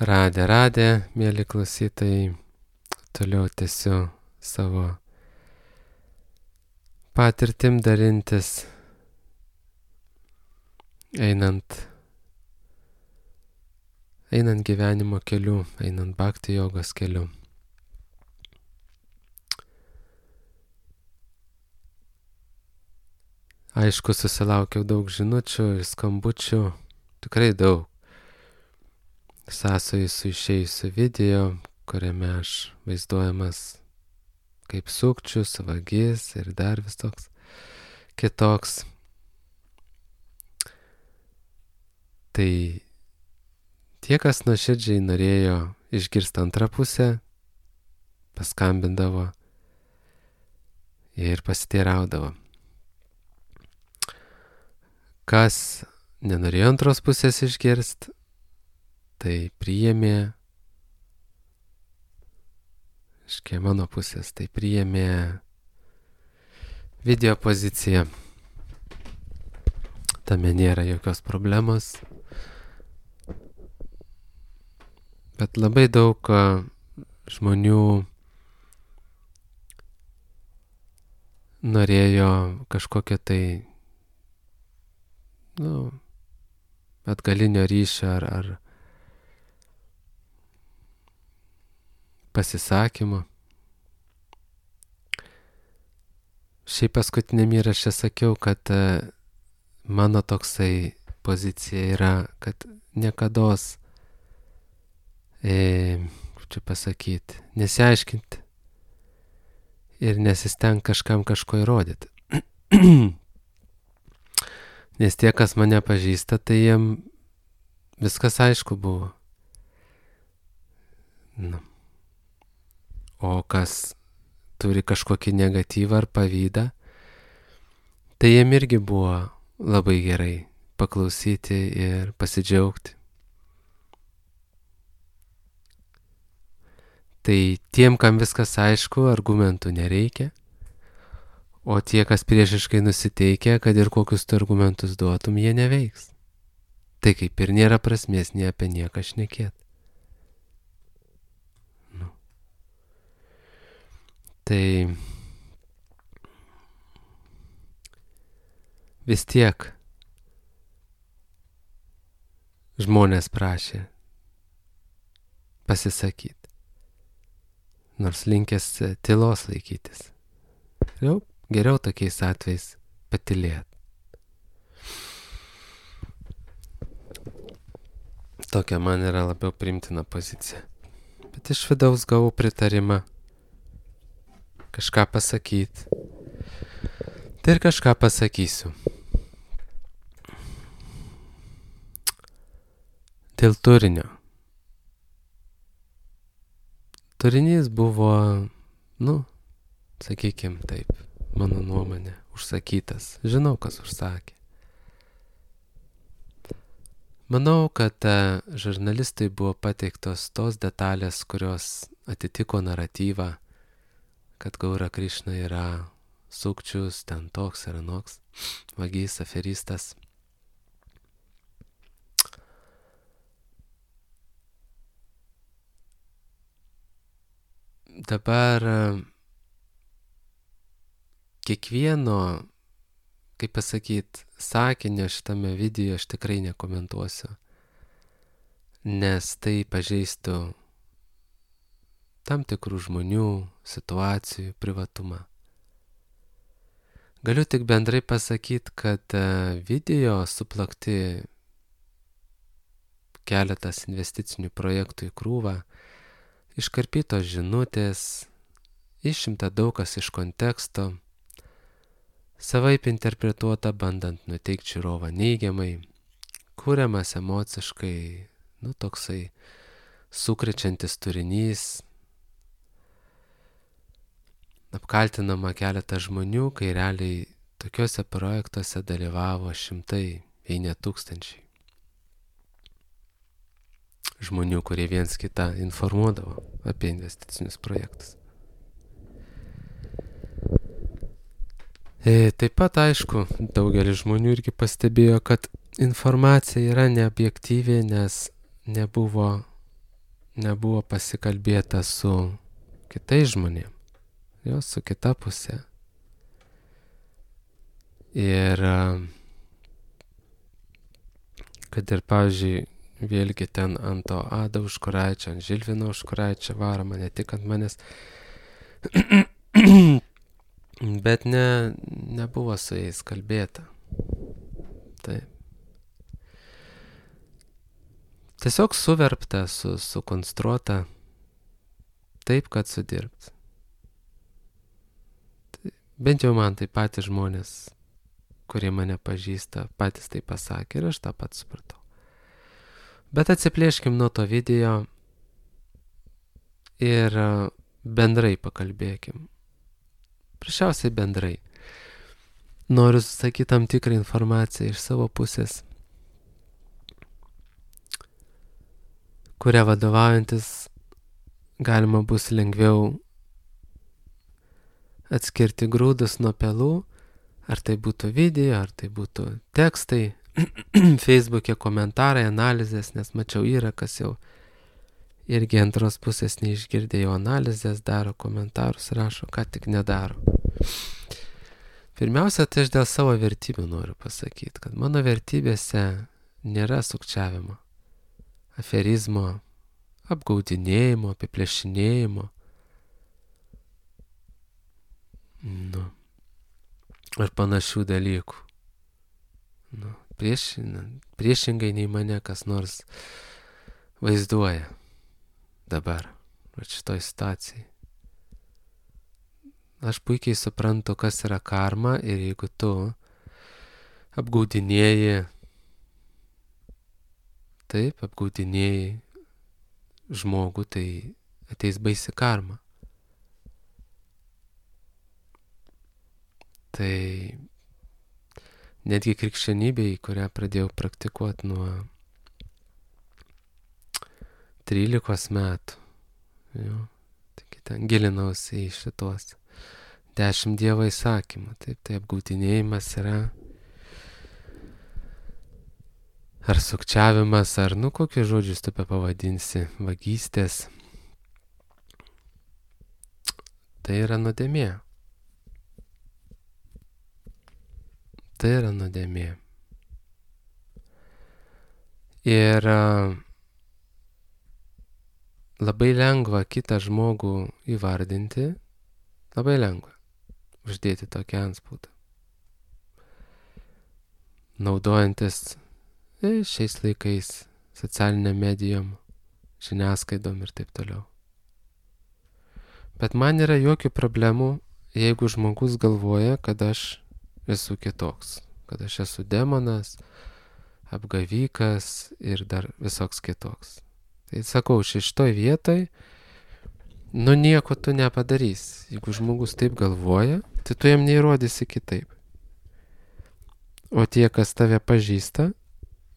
Radę, mėly klausytojai, toliau tęsiu savo patirtim dalintis, einant gyvenimo keliu, einant bhakti jogos keliu. Aišku, susilaukiau daug žinučių ir skambučių, tikrai daug. Sąsojų su išėjusiu video, kuriame aš vaizduojamas kaip sukčius, vagis ir dar vis toks kitoks. Tai tie, kas nuoširdžiai norėjo išgirsti antrą pusę, paskambindavo ir pasiteiraudavo. Kas nenorėjo antros pusės išgirsti, tai priėmė, iš mano pusės, tai priėmė video poziciją. Tame nėra jokios problemos. Bet labai daug žmonių norėjo kažkokio tai, atgalinio ryšio ar pasisakymo. Šiaip paskutiniam įraše sakiau, kad mano toksai pozicija yra, kad niekados, čia pasakyti, nesiaiškinti ir nesisteng kažkam kažko įrodyti. Nes tie, kas mane pažįsta, tai jiem viskas aišku buvo. O kas turi kažkokį negatyvą ar pavydą, tai jiem irgi buvo labai gerai paklausyti ir pasidžiaugti. Tai tiem, kam viskas aišku, argumentų nereikia, o tie, kas priešiškai nusiteikia, kad ir kokius tu argumentus duotum, jie neveiks. Tai kaip ir nėra prasmės nei apie nieką šnekėti. Tai vis tiek žmonės prašė pasisakyti, nors linkęs tylos laikytis. Geriau tokiais atvejais patylėti. Tokia man yra labiau priimtina pozicija. Bet iš vidaus gavau pritarimą kažką pasakyti. Tai ir kažką pasakysiu. Dėl turinio. Turinys buvo, sakykim taip, mano nuomonė, užsakytas. Žinau, kas užsakė. Manau, kad žurnalistui buvo pateiktos tos detalės, kurios atitiko naratyvą, kad Gaura Krišna yra sukčius, ten toks ir anoks, vagys, aferistas. Dabar kiekvieno, kaip pasakyti, sakinio šitame video aš tikrai nekomentuosiu, nes tai pažeistų tam tikrų žmonių, situacijų, privatumą. Galiu tik bendrai pasakyti, kad video suplakti keletas investicinių projektų į krūvą, iškarpytos žinutės, išimta daug kas iš konteksto, savaip interpretuota bandant nuteikti žiūrovą neigiamai, kuriamas emociškai, toksai sukrečiantis turinys, apkaltinama keletą žmonių, kai realiai tokiuose projektuose dalyvavo šimtai, jei ne tūkstančiai žmonių, kurie viens kitą informuodavo apie investicinius projektus. Taip pat, aišku, daugelis žmonių irgi pastebėjo, kad informacija yra neobjektyvi, nes nebuvo nebuvo pasikalbėta su kitais žmonėm, su kita pusė. Ir kad ir, pavyzdžiui, vėlgi ten ant to Ado Užkuraičio, ant Žilvino Užkuraičio varoma, ne tik ant manęs, bet nebuvo su jais kalbėta. Taip. Tiesiog suverpta, sukonstruota taip, kad sudirbt. Tai, bent jau man tai patys žmonės, kurie mane pažįsta, patys tai pasakė ir aš tą pat supratau. Bet atsiplėškim nuo to video ir bendrai pakalbėkim. Prašiausiai bendrai. Noriu susakyti tam tikrą informaciją iš savo pusės, kuria vadovaujantis galima bus lengviau atskirti grūdus nuo pelų, ar tai būtų video, ar tai būtų tekstai, Facebook'e komentarai, analizės, nes mačiau yra, kas jau irgi antros pusės neišgirdė, jau analizės daro, komentarus rašo, ką tik nedaro. Pirmiausia, tai aš dėl savo vertybių noriu pasakyti, kad mano vertybėse nėra sukčiavimo, aferizmo, apgaudinėjimo, apiplėšinėjimo. Ar panašių dalykų. Priešingai nei mane kas nors vaizduoja dabar, šitoj situacijai. Aš puikiai suprantu, kas yra karma, ir jeigu tu apgaudinėji žmogų, tai ateis baisi karma. Tai netgi krikščionybėj, kurią pradėjau praktikuoti nuo 13 metų, taigi ten gilinausi į šitos 10 Dievo įsakymų. Taip, tai apgaudinėjimas yra ar sukčiavimas, ar kokius žodžius tu pavadinsi, vagystės. Tai yra nuodėmė. Tai yra nuodėmė. Ir labai lengva kitą žmogų įvardinti, labai lengva uždėti tokį antspaudą. Naudojantis šiais laikais socialiniam medijom, žiniasklaidom ir taip toliau. Bet man yra jokių problemų, jeigu žmogus galvoja, kad aš esu kitoks, kad aš esu demonas, apgavikas ir dar visoks kitoks. Tai sakau, šitoj vietoj, nieko tu nepadarys. Jeigu žmogus taip galvoja, tai tu jam neįrodysi kitaip. O tie, kas tave pažįsta,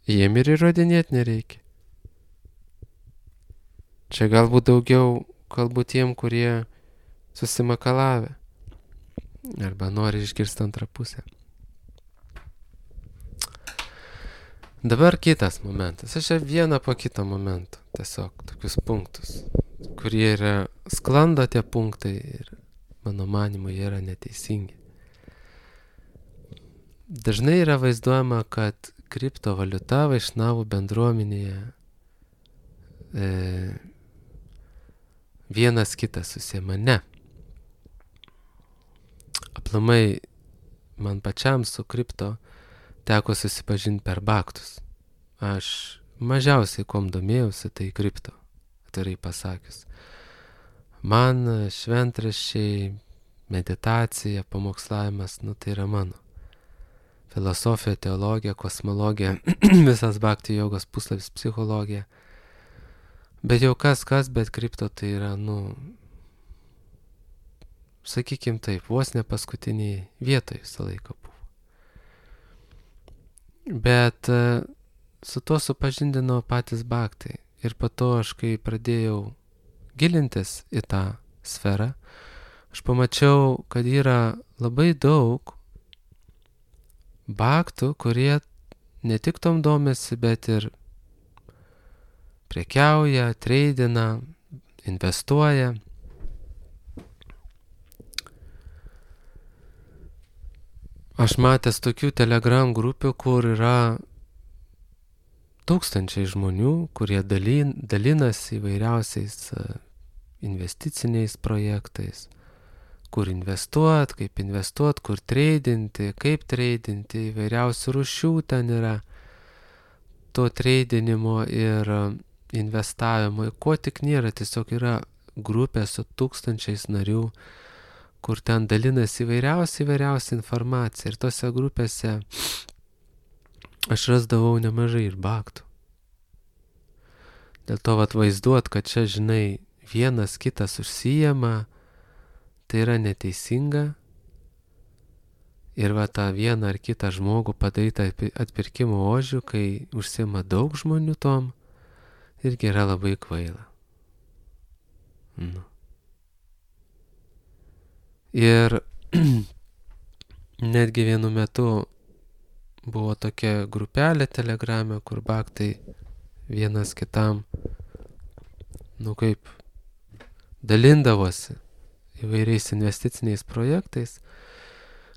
jiem ir įrodinėti nereikia. Čia galbūt daugiau kalbu tiem, kurie susimakalavę arba nori išgirsti antrą pusę. Dabar kitas momentas. Aš vieną po kito momento, tiesiog tokius punktus, kurie yra sklando tie punktai ir mano manymu jie yra neteisingi. Dažnai yra vaizduojama, kad kriptovaliuta vaišnavų bendruomenėje vienas kitas susiema. Ne. Aplamai man pačiam su kripto teko susipažinti per baktus. Aš mažiausiai kuom domėjausi, tai kripto, atvirai pasakius. Man šventraščiai, meditacija, pamokslavimas, tai yra mano. Filosofija, teologija, kosmologija, visas bhakti jogos puslapis, psichologija. Bet jau kas, bet kripto tai yra, sakykim taip, vos ne paskutiniai vietoj visą laiką buvo. Bet su to supažindino patys bhaktai. Ir po to aš, kai pradėjau gilintis į tą sferą, aš pamačiau, kad yra labai daug bhaktų, kurie ne tik tom domisi, bet ir prekiauja, treidina, investuoja. Aš matęs tokių Telegram grupių, kur yra tūkstančiai žmonių, kurie dalinasi įvairiausiais investiciniais projektais, kur investuot, kur treidinti, kaip treidinti, įvairiausių rūšių ten yra to treidinimo ir investavimo, ko tik nėra, tiesiog yra grupė su tūkstančiais narių, kur ten dalinasi įvairiausia informacija. Ir tose grupėse aš rasdavau nemažai ir baktų. Dėl to vaizduot, kad čia, žinai, vienas kitas užsijama, tai yra neteisinga. Ir tą vieną ar kitą žmogų padarytą atpirkimo ožių, kai užsima daug žmonių tom, irgi yra labai kvaila. Ir netgi vienu metu buvo tokia grupelė Telegrame, kur baktai vienas kitam, kaip dalindavosi įvairiais investiciniais projektais,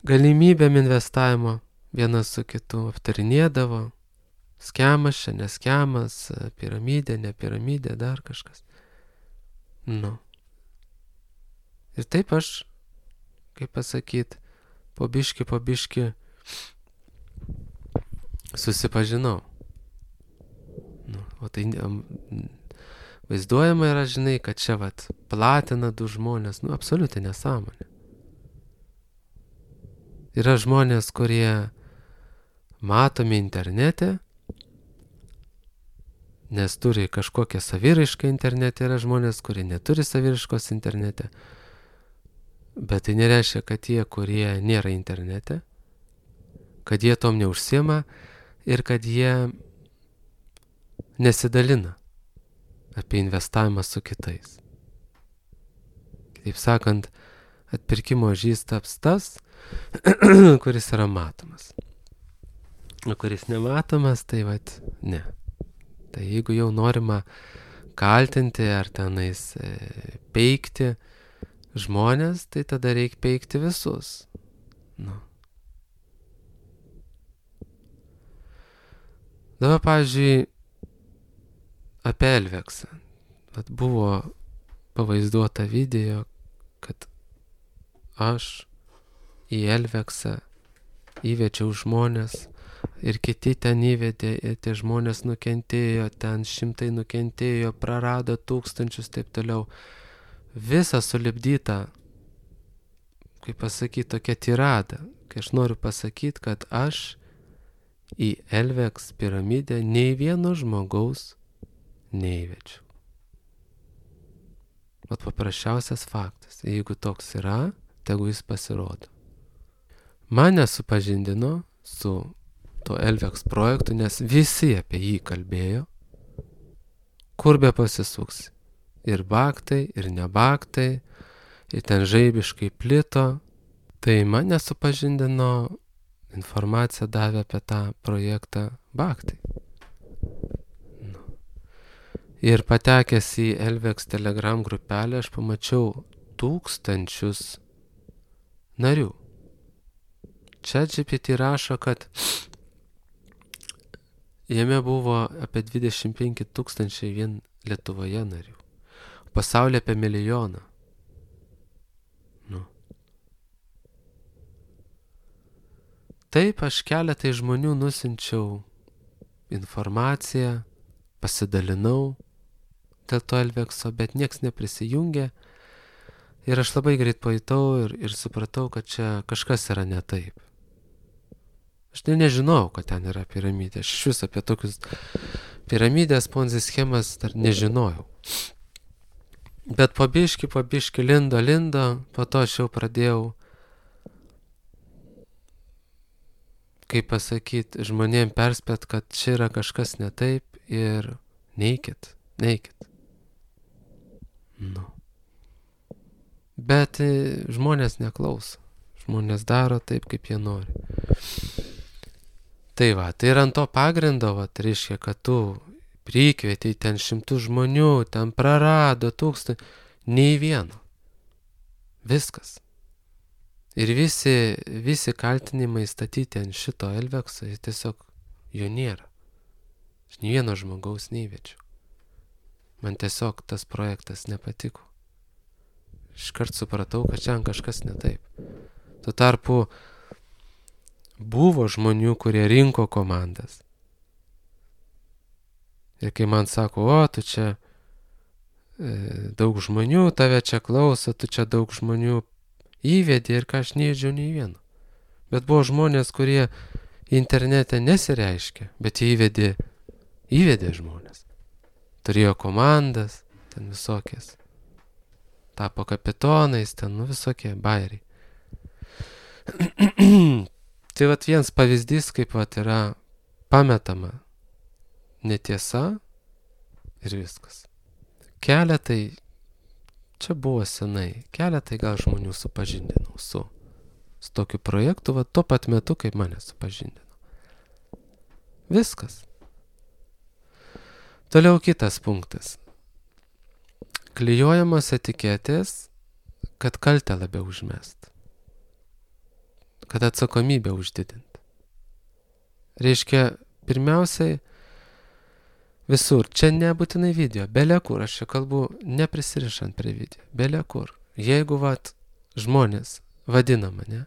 galimybėm investavimo vienas su kitu aptarinėdavo, skemas čia, neskemas, piramidė, ne piramidė, dar kažkas. Ir taip aš, kaip pasakyt, po biški susipažinau. O tai vaizduojama yra, žinai, kad čia platina du žmonės, absoliuti nesąmonė. Yra žmonės, kurie matomi internete, nes turi kažkokią saviraišką internete, yra žmonės, kurie neturi saviraiškos internete. Bet tai nereiškia, kad tie, kurie nėra internete, kad jie tom neužsiema ir kad jie nesidalina apie investavimą su kitais. Taip sakant, atpirkimo ožys taps tas, kuris yra matomas. O kuris nematomas, tai ne. Tai jeigu jau norima kaltinti ar tenais peikti žmonės, tai tada reikia peikti visus. Dabar, pavyzdžiui, apie Elveksą. Buvo pavaizduota video, kad aš į Elveksą įvedžiau žmonės ir kiti ten įvedė ir tie žmonės nukentėjo, ten šimtai nukentėjo, prarado tūkstančius, taip toliau. Visa sulipdyta, kaip pasakyti, tokia tirada, kai aš noriu pasakyti, kad aš į Elveks piramidę nei vieno žmogaus neįvedžiau. Paprasčiausias faktas, jeigu toks yra, tegu jis pasirodo. Mane supažindino su to Elveks projektu, nes visi apie jį kalbėjo, kur be pasisuksi. Ir baktai, ir nebaktai, ir ten žaibiškai plito. Tai mane supažindino, informaciją davė apie tą projektą baktai. Ir patekęs į Elveks Telegram grupelę, aš pamačiau tūkstančius narių. ChatGPT rašo, kad jame buvo apie 25 000 vien Lietuvoje narių. Pasaulyje apie 1 milijoną. Taip, aš keletai žmonių nusinčiau informaciją, pasidalinau dėl to Elvekso, bet nieks neprisijungė. Ir aš labai greit pajutau ir supratau, kad čia kažkas yra ne taip. Aš nežinau, kad ten yra piramidė. Aš iš vis apie tokius piramidės, ponzi schemas dar nežinojau. Bet po biški lindo, po to aš jau pradėjau, kaip pasakyti, žmonėm perspėt, kad čia yra kažkas ne taip ir neikit. Bet žmonės neklauso. Žmonės daro taip, kaip jie nori. Tai ir ant to pagrindo, reiškia, kad tu prikvietė ten 100 žmonių, ten prarado 1000, nei vieno. Viskas. Ir visi kaltinimai statyti ant šito Elvekso, tiesiog jo nėra. Aš nei vieno žmogaus neįvečiau. Man tiesiog tas projektas nepatiko. Iškart supratau, kad čia kažkas ne taip. Tuo tarpu buvo žmonių, kurie rinko komandas. Ir kai man sako, o, tu čia daug žmonių, tave čia klauso, tu čia daug žmonių įvedė ir ką aš neįdžiau nei vieno. Bet buvo žmonės, kurie internete nesireiškia, bet jie įvedė žmonės. Turėjo komandas, ten visokias. Tapo kapitonais, ten visokie bairiai. Tai vat vienas pavyzdys, kaip vat yra pametama netiesa ir viskas. Keletai, čia buvo senai, keletai gal žmonių supažindinau su tokiu projektu, vat tuo pat metu, kaip mane supažindino. Viskas. Toliau kitas punktas. Klijuojamos etiketės, kad kaltę labiau užmest. Kad atsakomybę uždidint. Reiškia, pirmiausiai, visur, čia nebūtinai video, belia kur, aš čia kalbu neprisirišant prie video, belia kur. Jeigu žmonės vadina mane,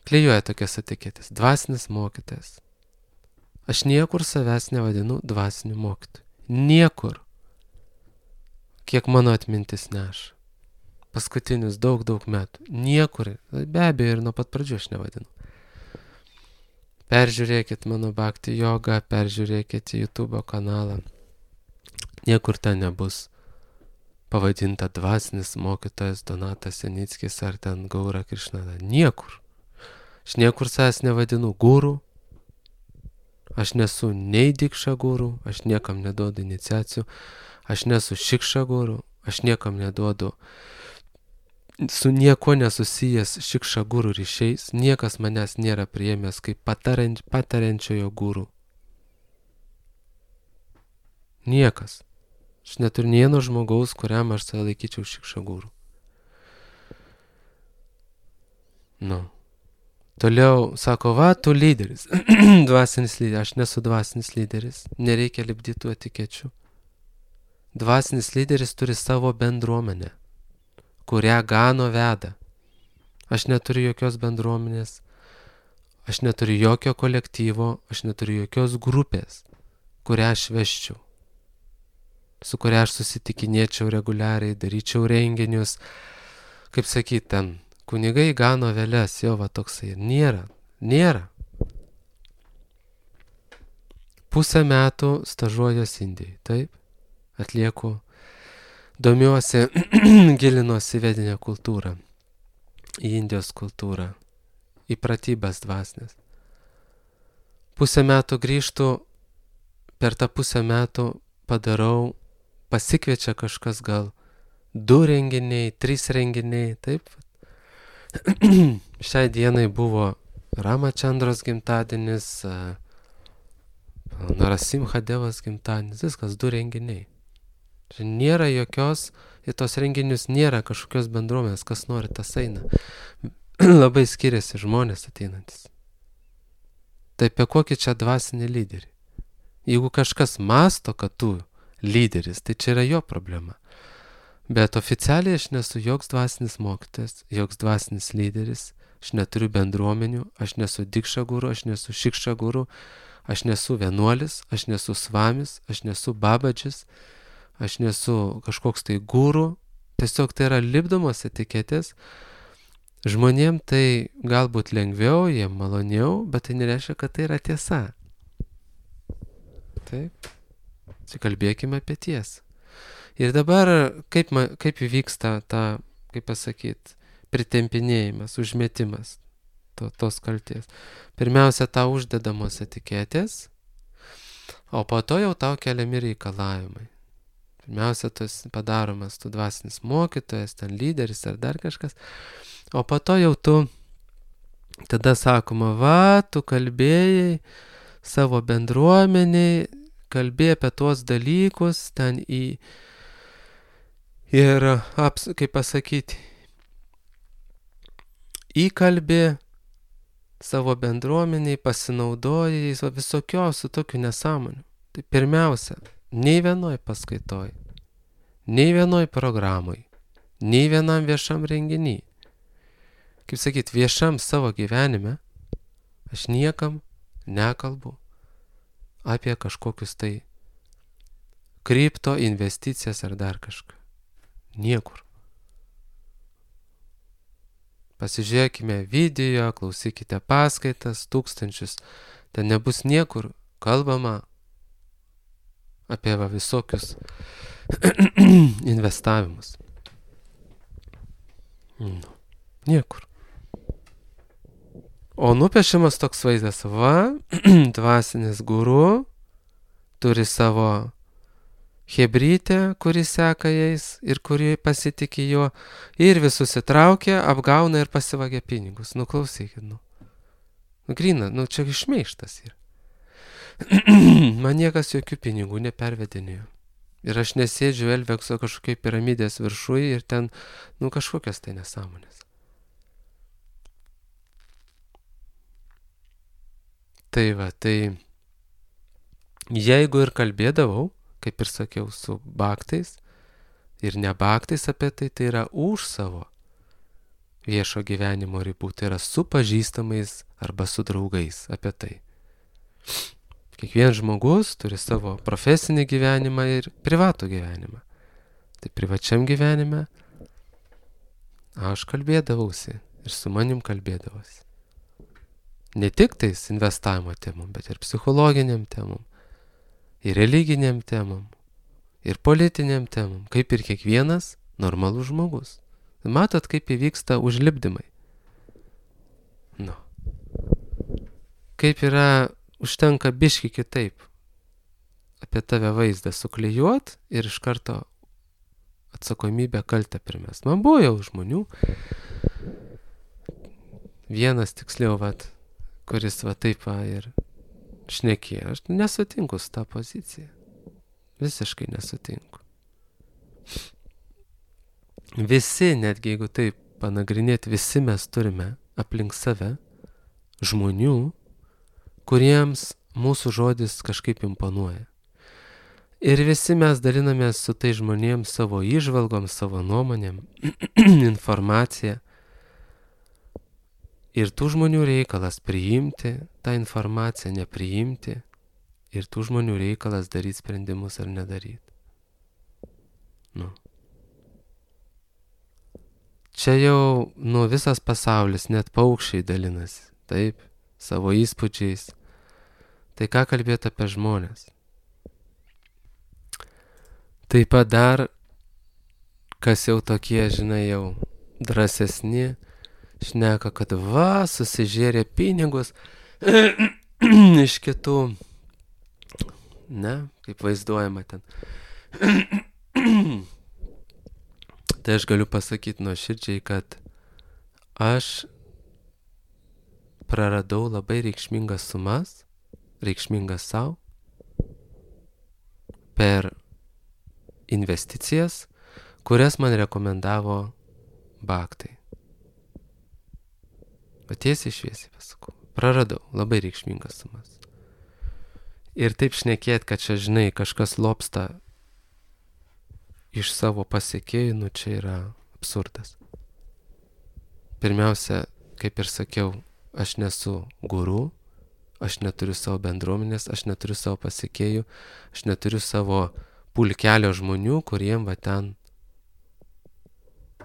klijuoja tokias etiketės, dvasinis mokytojas. Aš niekur savęs nevadinu dvasiniu mokytoju. Niekur. Kiek mano atmintis neša. Paskutinius daug metų. Niekur. Be abejo, ir nuo pat pradžių aš nevadinu. Peržiūrėkit mano Bhakti jogą, peržiūrėkit YouTube kanalą. Niekur ten nebus pavadinta dvasinis mokytojas Donatas Janickis ar ten Gaura Krišnada. Niekur. Aš niekur savęs nevadinu guru. Aš nesu nei dikša guru, aš niekam neduodu iniciacijų. Aš nesu šikša guru, aš niekam neduodu su nieko nesusijęs šikša guru ryšiais. Niekas manęs nėra priėmęs kaip patariančiojo guru. Niekas. Aš neturiu nė vieno žmogaus, kuriam aš save laikyčiau šikša guru. Toliau sako, tu lyderis. Dvasinis lyderis. Aš nesu dvasinis lyderis. Nereikia lipdyti tų etikečių. Dvasinis lyderis turi savo bendruomenę, kurią gano veda. Aš neturiu jokios bendruomenės, aš neturiu jokio kolektyvo, aš neturiu jokios grupės, kurią aš veščiau, su kuria aš susitikinėčiau reguliariai, daryčiau renginius, kaip sakyt, ten kunigai gano veles, jo va toksai. Nėra. Pusę metų stažuojuosi Indijai, taip? Atlieku, domiuosi, gilinuosi į vedinę kultūrą, į Indijos kultūrą, į pratybas dvasinės. Pusę metų grįžtu, per tą pusę metų padarau, pasikviečia kažkas gal 2 renginiai, 3 renginiai, taip? Šiai dienai buvo Ramachandros gimtadienis, Narasimha Devas gimtadienis, viskas 2 renginiai. Nėra jokios, į tos renginius nėra kažkokios bendruomenės, kas nori tas eina. Labai skiriasi žmonės ateinantis. Tai apie kokį čia dvasinį lyderį? Jeigu kažkas masto, kad tu lyderis, tai čia yra jo problema. Bet oficialiai aš nesu joks dvasinis mokytojas, joks dvasinis lyderis, aš neturiu bendruomenių, aš nesu dikša guru, aš nesu šikša guru, aš nesu vienuolis, aš nesu svamis, aš nesu babadžis, aš nesu kažkoks tai guru, tiesiog tai yra lipdomos etiketės. Žmonėm tai galbūt lengviau, jiem maloniau, bet tai nereiškia, kad tai yra tiesa. Taip. Kalbėkime apie tiesą. Ir dabar kaip įvyksta ta, kaip pasakyt, pritempinėjimas, užmetimas tos kalties. Pirmiausia, tau uždedamos etiketės, o po to jau tau keliami reikalavimai. Pirmiausia, tas padaromas tu dvasinis mokytojas, ten lyderis ar dar kažkas, o po to jau tu, tada sakoma, tu kalbėjai savo bendruomeniai, kalbė apie tuos dalykus ten ir, kaip pasakyti, įkalbė savo bendruomeniai, pasinaudoja jais visokiausių tokių nesąmonių. Tai pirmiausia, nei vienoj paskaitoj, nei vienoj programoj, nei vienam viešam renginy, kaip sakyt, viešam savo gyvenime, aš niekam nekalbu apie kažkokius tai kripto investicijas ar dar kažką. Niekur. Pasižiūrėkime video, klausykite paskaitas, tūkstančius. Ten nebus niekur kalbama apie visokius investavimus. Niekur. O nupiešiamas toks vaizdas, dvasinis guru turi savo hebrytę, kuri seka jais ir kuri pasitikė juo, ir visus įtraukia, apgauna ir pasivagia pinigus. Klausykit, Gryna, čia išmeištas yra. Man niekas jokių pinigų nepervedinėjo. Ir aš nesėdžiu Elvekso kažkokiai piramidės viršuje ir ten, kažkokios tai nesąmonės. Tai jeigu ir kalbėdavau, kaip ir sakiau, su baktais ir ne baktais apie tai, tai yra už savo viešo gyvenimo ribų, tai yra su pažįstamais arba su draugais apie tai. Kiekvienas žmogus turi savo profesinį gyvenimą ir privatų gyvenimą. Tai privačiam gyvenime aš kalbėdavausi ir su manim kalbėdavosi. Ne tik tais investavimo temom, bet ir psichologiniam temom, ir religiniam temom, ir politiniam temom, kaip ir kiekvienas normalus žmogus. Matot, kaip įvyksta užlipdymai. Kaip yra, užtenka biški kitaip apie tave vaizdą suklijuot ir iš karto atsakomybę kaltę primest. Man buvo jau žmonių, vienas tiksliau, kuris taip ir šnekėjo. Aš nesutinku su tą poziciją. Visiškai nesutinku. Visi, netgi jeigu taip panagrinėti, visi mes turime aplink save žmonių, kuriems mūsų žodis kažkaip imponuoja. Ir visi mes dalinamės su tai žmonėms savo įžvalgom, savo nuomonėm, informaciją. Ir tų žmonių reikalas priimti tą informaciją, nepriimti. Ir tų žmonių reikalas daryti sprendimus ar nedaryti. Čia jau visas pasaulis, net paukščiai dalinasi, taip, savo įspūdžiais. Tai ką kalbėti apie žmonės? Taip pat dar, kas jau tokie, jau drąsesni, šneka, kad susižėrė pinigus iš kitų, kaip vaizduojama ten. Tai aš galiu pasakyti nuoširdžiai, kad aš praradau labai reikšmingas sumas, reikšmingas savo, per investicijas, kurias man rekomendavo baktai. Tiesiai šviesiai pasakau, praradau labai reikšmingas sumas. Ir taip šnekėt, kad čia, kažkas lobsta iš savo pasiekėjų, čia yra absurdas. Pirmiausia, kaip ir sakiau, aš nesu guru, aš neturiu savo bendruomenės, aš neturiu savo pasiekėjų, aš neturiu savo pulkelio žmonių, kuriem ten,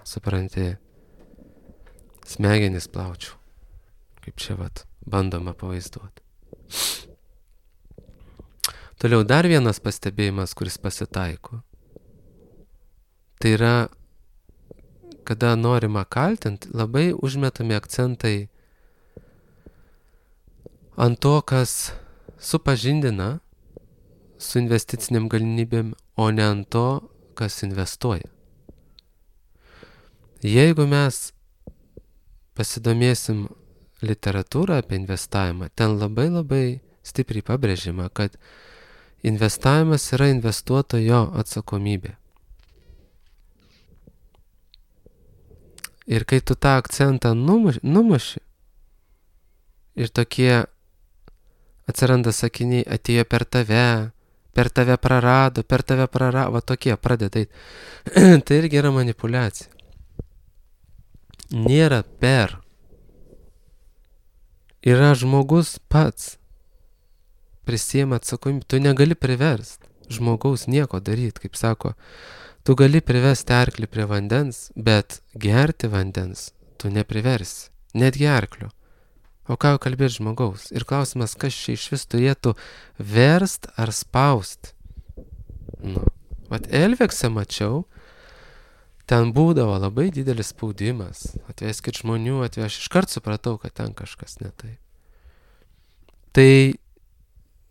supranti, smegenis plaučiau. Kaip čia bandoma pavaizduoti. Toliau dar vienas pastebėjimas, kuris pasitaiko. Tai yra, kada norima kaltinti, labai užmetami akcentai ant to, kas supažindina su investiciniam galimybėm, o ne ant to, kas investuoja. Jeigu mes pasidomėsim literatūrą apie investavimą, ten labai labai stipriai pabrėžiama, kad investavimas yra investuotojo atsakomybė. Ir kai tu tą akcentą numuši ir tokie atsiranda sakiniai, atėjo per tave prarado, va tokie pradeda eit. Tai irgi yra manipuliacija. Nėra per. Yra žmogus pats prisiima atsakomybę. Tu negali priverst žmogaus nieko daryti, kaip sako. Tu gali privesti arklį prie vandens, bet gerti vandens tu nepriversi, netgi arklio. O ką jau kalbėti žmogaus? Ir klausimas, kas čia iš vis turėtų verst ar spaust? Vat Elvekse mačiau, ten būdavo labai didelis spaudimas. Atveskit žmonių, aš iškart supratau, kad ten kažkas ne taip. Tai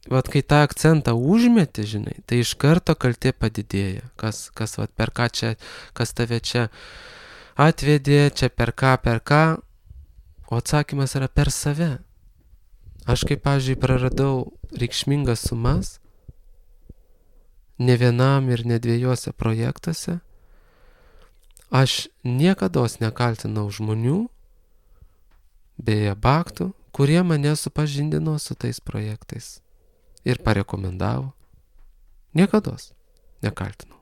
vat kai tą akcentą užmeti, žinai, tai iš karto kaltė padidėja. Kas vat per ką čia, kas tave čia atvedė, čia per ką, o atsakymas yra per save. Aš kaip, pavyzdžiui, praradau reikšmingas sumas, ne vienam ir ne dviejose projektuose, aš niekados nekaltinau žmonių, beje, baktų, kurie mane supažindino su tais projektais. Ir parekomendavo. Niekados nekaltinau.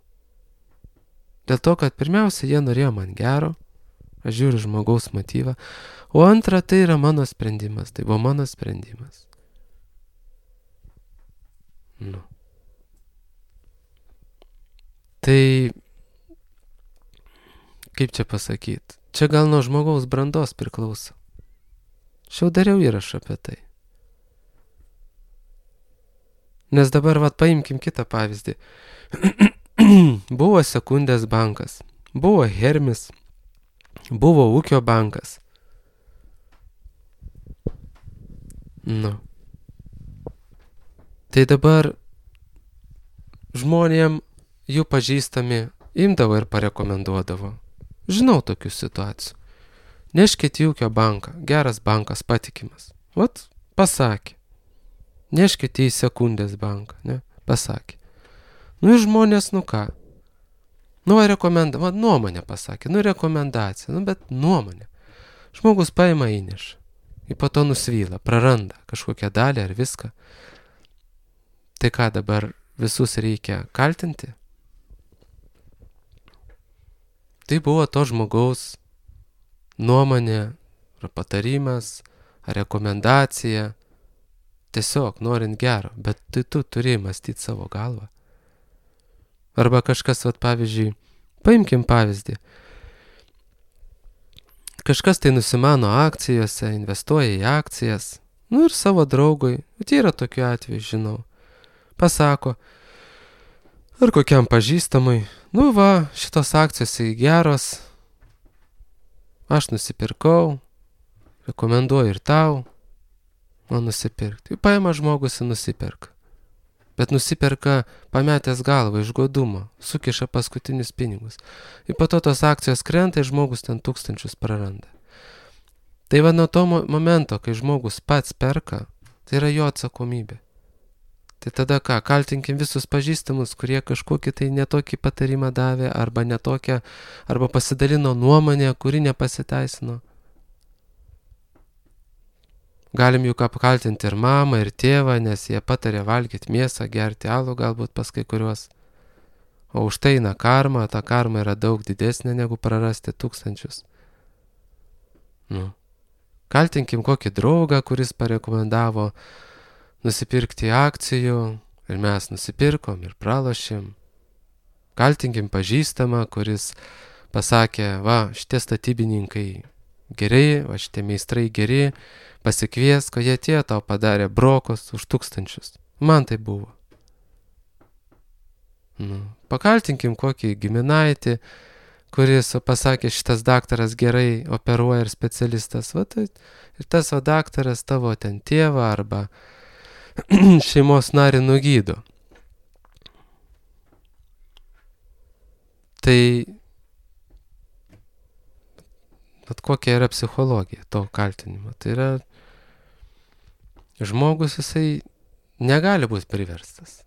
Dėl to, kad pirmiausia, jie norėjo man gero, aš žiūriu žmogaus motyvą, o antra, tai yra mano sprendimas, tai buvo mano sprendimas. Tai, kaip čia pasakyti, čia gal nuo žmogaus brandos priklauso. Aš jau dariau įrašą apie tai. Nes dabar paimkim kitą pavyzdį. Buvo Sekundės bankas, buvo Hermis, buvo Ūkio bankas. Tai dabar žmonėm jų pažįstami imdavo ir parekomenduodavo. Žinau tokių situacijų. Neškit į Ūkio banką, geras bankas, patikimas. Vat, pasakė. Neškite į Sekundės banką, ne? Pasakė. Ir žmonės, ką? Nuomonę pasakė, rekomendacija, bet nuomonę. Žmogus paima įneša. Ir po to nusvyla, praranda kažkokią dalį ar viską. Tai ką dabar visus reikia kaltinti? Tai buvo to žmogaus nuomonė, ar patarimas, ar rekomendacija. Tiesiog norint gero, bet tai tu turi mąstyti savo galvą. Arba kažkas, pavyzdžiui, paimkim pavyzdį. Kažkas tai nusimano akcijose, investuoja į akcijas, ir savo draugui, tai yra tokiu atveju, žinau, pasako, ar kokiam pažįstamui, šitos akcijos geros, aš nusipirkau, rekomenduoju ir tau, nusipirkti. Paima žmogus ir nusiperka. Bet nusiperka pametęs galvą iš godumo, sukiša paskutinius pinigus. Ir po to tos akcijos krenta ir žmogus ten 1000 praranda. Tai nuo to momento, kai žmogus pats perka, tai yra jo atsakomybė. Tai tada ką, kaltinkim visus pažįstamus, kurie kažkokį tai netokį patarimą davė, arba netokią, arba pasidalino nuomonę, kuri nepasiteisino. Galim juk apkaltinti ir mamą, ir tėvą, nes jie patarė valgyti mėsą, gerti alų galbūt pas kai kuriuos. O už tai eina karma, ta karma yra daug didesnė negu prarasti 1000. Kaltinkim kokį draugą, kuris parekomendavo nusipirkti akcijų, ir mes nusipirkom ir pralošėm. Kaltinkim pažįstamą, kuris pasakė, šitie statybininkai geri, šitie meistrai geri, pasikviesk, o jie tie tau padarė brokos už 1000. Man tai buvo. Pakaltinkim kokį giminaitį, kuris pasakė, šitas daktaras gerai operuoja ir specialistas. Ir tas daktaras tavo ten tėvą arba šeimos narį nugydo. Tai kokia yra psichologija to kaltinimo? Tai yra žmogus, jisai negali būti priverstas.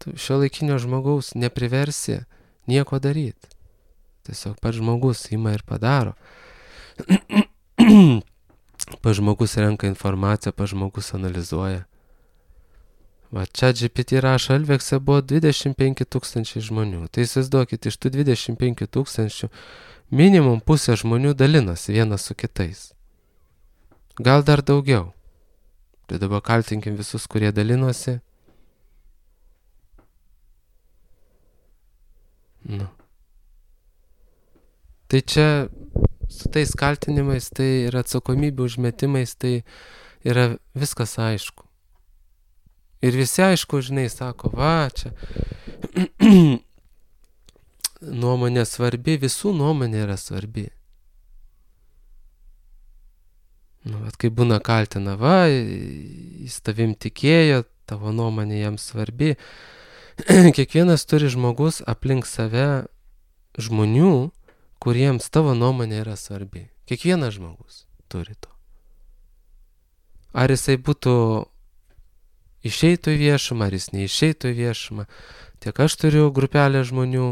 Tu šiuolaikinio žmogaus nepriversi nieko daryti. Tiesiog pats žmogus ima ir padaro. Pats žmogus renka informaciją, pats žmogus analizuoja. Va, čia GPT rašo, Elvekse buvo 25 000 žmonių. Tai įsivaizduokit, iš tų 25 000 minimum pusė žmonių dalinosi vienas su kitais. Gal dar daugiau. Tai dabar kaltinkim visus, kurie dalinosi. Nu. Tai čia su tais kaltinimais, tai ir atsakomybių užmetimais, tai yra viskas aišku. Ir visi aišku, žinai, sako, va, čia nuomonė svarbi, visų nuomonė yra svarbi. Nu, bet kai būna kaltina, va, jis tavim tikėjo, tavo nuomonė jam svarbi. Kiekvienas turi žmogus aplink save žmonių, kuriems tavo nuomonė yra svarbi. Kiekvienas žmogus turi to. Ar jisai būtų išeitų į viešumą, ar jis neišeitų į viešumą. Tiek aš turiu grupelę žmonių,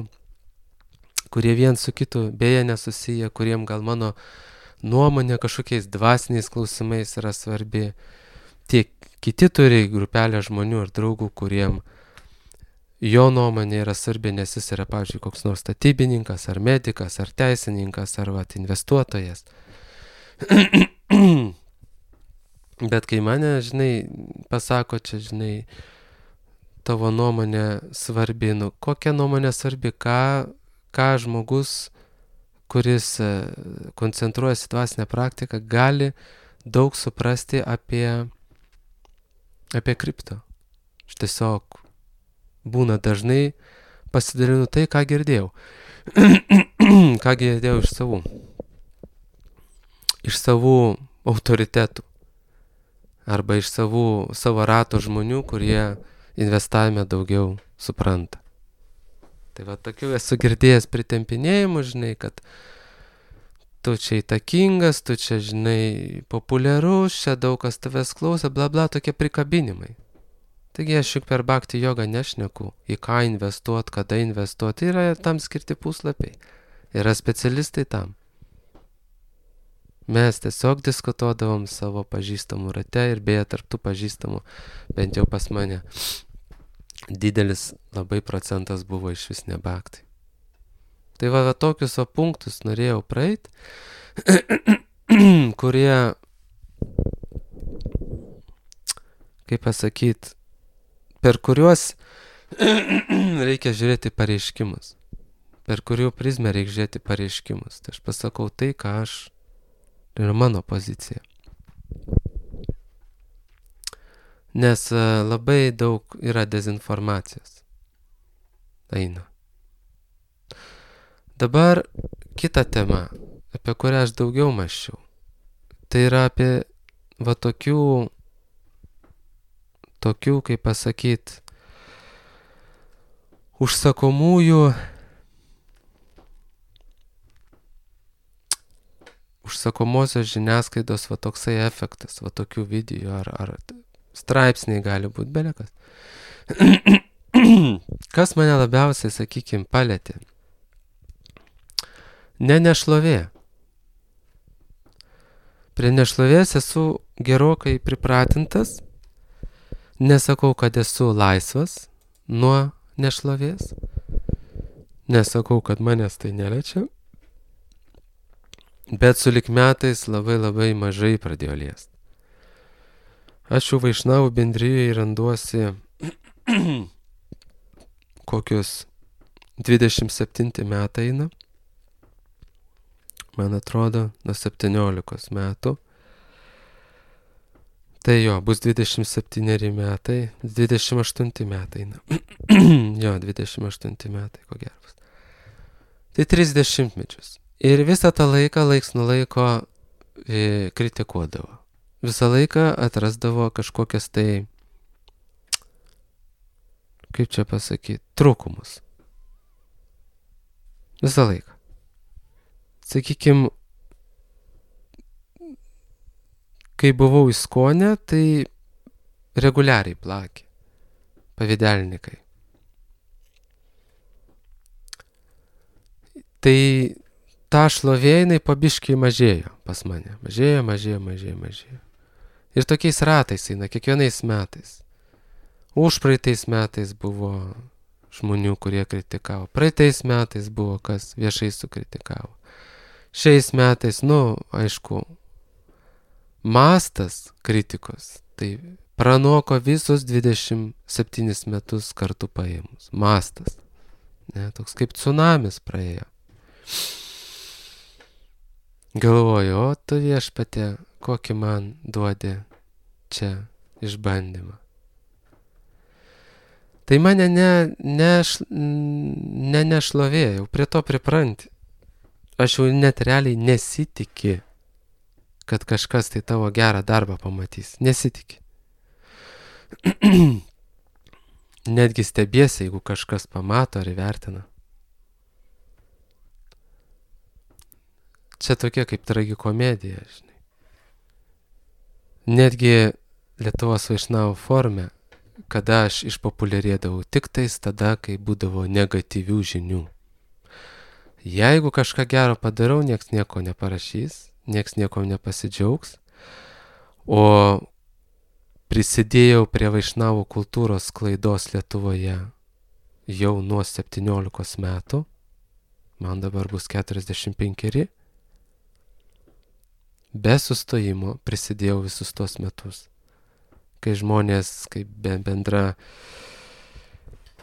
kurie vien su kitu beje nesusiję, kuriem gal mano nuomonė kažkokiais dvasiniais klausimais yra svarbi. Tiek kiti turi grupelę žmonių ir draugų, kuriem jo nuomonė yra svarbi, nes jis yra, pavyzdžiui, koks nors statybininkas, ar medikas, ar teisininkas, ar investuotojas. Bet kai mane, žinai, pasako čia, žinai, tavo nuomonė svarbi, nu, kokia nuomonė svarbi, ką žmogus, kuris koncentruojasi dvasinę praktiką, gali daug suprasti apie kripto. Aš tiesiog būna dažnai pasidalinu tai, ką girdėjau. Ką girdėjau iš savų autoritetų. Arba iš savo rato žmonių, kurie investavime daugiau supranta. Tai va, tokių esu girdėjęs pritempinėjimų, žinai, kad tu čia įtakingas, tu čia, žinai, populiarus, čia daug kas tavęs klauso, bla bla, tokie prikabinimai. Taigi aš juk per bhakti jogą nešneku, į ką investuoti, kada investuoti, yra tam skirti puslapiai, yra specialistai tam. Mes tiesiog diskutuodavom savo pažįstamų rate ir beje tarp tų pažįstamų, bent jau pas mane, didelis labai procentas buvo iš vis ne bhakti. Tai va tokius punktus norėjau praeit, kurie, kaip pasakyt, per kuriuos reikia žiūrėti pareiškimus, per kurių prizmę reikia žiūrėti pareiškimus. Tai aš pasakau tai, ką aš yra mano pozicija. Nes labai daug yra dezinformacijos. Eina. Dabar kita tema, apie kurią aš daugiau mąsčiau. Tai yra apie va tokių, kaip pasakyt, užsakomosios žiniasklaidos va toksai efektas, va tokių video ar straipsniai gali būti belekas. Kas mane labiausiai, sakykime, palėtė? Ne nešlovė. Prie nešlovės esu gerokai pripratintas, nesakau, kad esu laisvas nuo nešlovės, nesakau, kad manęs tai neliečia. Bet sulig metais labai mažai pradėjo liest. Aš jau Vaišnavų bendrijoje randuosi kokius 27 metai eina. Man atrodo, nuo 17 metų. Tai jo, bus 27 metai, 28 metai eina. Jo, 28 metai, ko gero bus. Tai 30 mečius. Ir visą tą laiką, laiks nuo laiko kritikuodavo. Visą laiką atrasdavo kažkokias tai, kaip čia pasakyti, trūkumus. Visą laiką. Sakykime, kai buvau įskonę, tai reguliariai plakė pavydelnikai. Tai ta šlovė jinai pabiškiai mažėjo pas mane. Mažėjo. Ir tokiais ratais eina, kiekvienais metais. Užpraeitais metais buvo žmonių, kurie kritikavo. Praeitais metais buvo, kas viešai sukritikavo. Šiais metais, aišku, mastas kritikos, tai pranoko visus 27 metus kartu paėmus. Mastas. Ne, toks kaip tsunamis praėjo. Galvoju, o tu viešpatie, kokį man duodi čia išbandymą. Tai mane nešlovėjau, prie to pripranti. Aš jau net realiai nesitiki, kad kažkas tai tavo gerą darbą pamatys. Nesitiki. Netgi stebiesi, jeigu kažkas pamato ar įvertina. Čia tokia kaip tragikomedija, žinai. Netgi Lietuvos Vaišnavų forume, kada aš išpopuliarėdavau tik tais tada, kai būdavo negatyvių žinių. Jeigu kažką gero padarau, nieks nieko neparašys, nieks nieko nepasidžiaugs, o prisidėjau prie Vaišnavų kultūros sklaidos Lietuvoje jau nuo 17 metų, man dabar bus 45, be sustojimo prisidėjau visus tos metus. Kai žmonės, kaip bendra,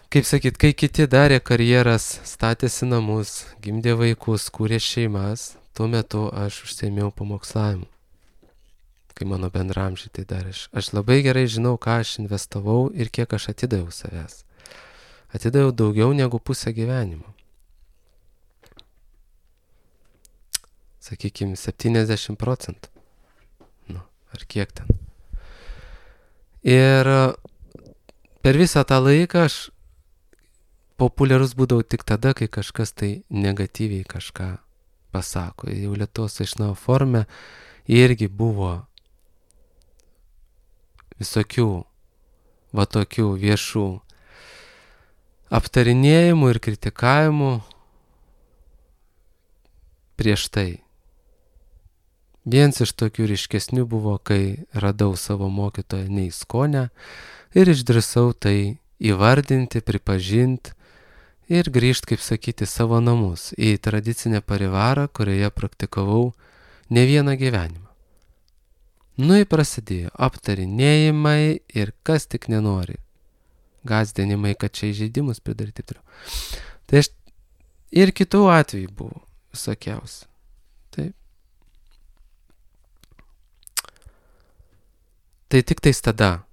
kaip sakyt, kai kiti darė karjeras, statėsi namus, gimdė vaikus, kūrė šeimas, tuo metu aš užsiėmiau pamokslavimu. Kai mano bendramžiai tai darė. Aš labai gerai žinau, ką aš investavau ir kiek aš atidaviau savęs. Atidaviau daugiau negu pusę gyvenimo. Sakykime, 70%. Ar kiek ten. Ir per visą tą laiką aš populiarus būdavau tik tada, kai kažkas tai negatyviai kažką pasako. Jau Lietuvos Vaišnavų forume irgi buvo visokių tokių viešų aptarinėjimų ir kritikavimų prieš tai. Vienas iš tokių ryškesnių buvo, kai radau savo mokytoją Neiskonę ir išdrįsau tai įvardinti, pripažinti ir grįžti, kaip sakyti, savo namus, į tradicinę parivarą, kurioje praktikavau ne vieną gyvenimą. Ir prasidėjo aptarinėjimai ir kas tik nenori. Gąsdinimai, kad čia įžeidimus pridaryti. Tai ir kitų atvejų buvo visokiausi. Taip. Tai tik tais tada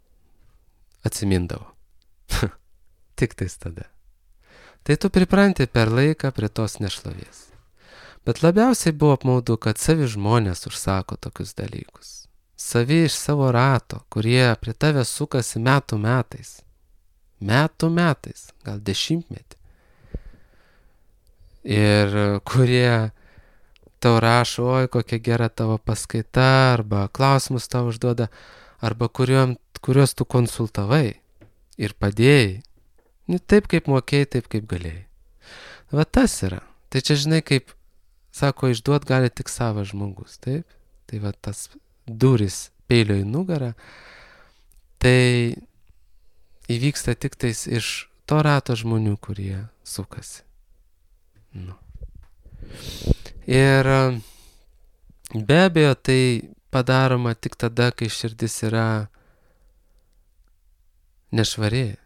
atsimindavo. Tik tais tada. Tai tu pripranti per laiką prie tos nešlovės. Bet labiausiai buvo apmaudu, kad savi žmonės užsako tokius dalykus. Savi iš savo rato, kurie prie tave sukasi metų metais. Metų metais, gal 10 metį. Ir kurie tau rašo, oi, kokia gera tavo paskaita, arba klausimus tau užduoda, arba kuriuos tu konsultavai ir padėjai. Taip kaip mokėjai, taip kaip galėjai. Va tas yra. Tai čia žinai, kaip sako, išduot gali tik savas žmogus, taip? Tai va tas duris peilio į nugarą, tai įvyksta tik tais iš to rato žmonių, kurie sukasi. Ir be abejo, tai padaroma tik tada, kai širdis yra nešvari,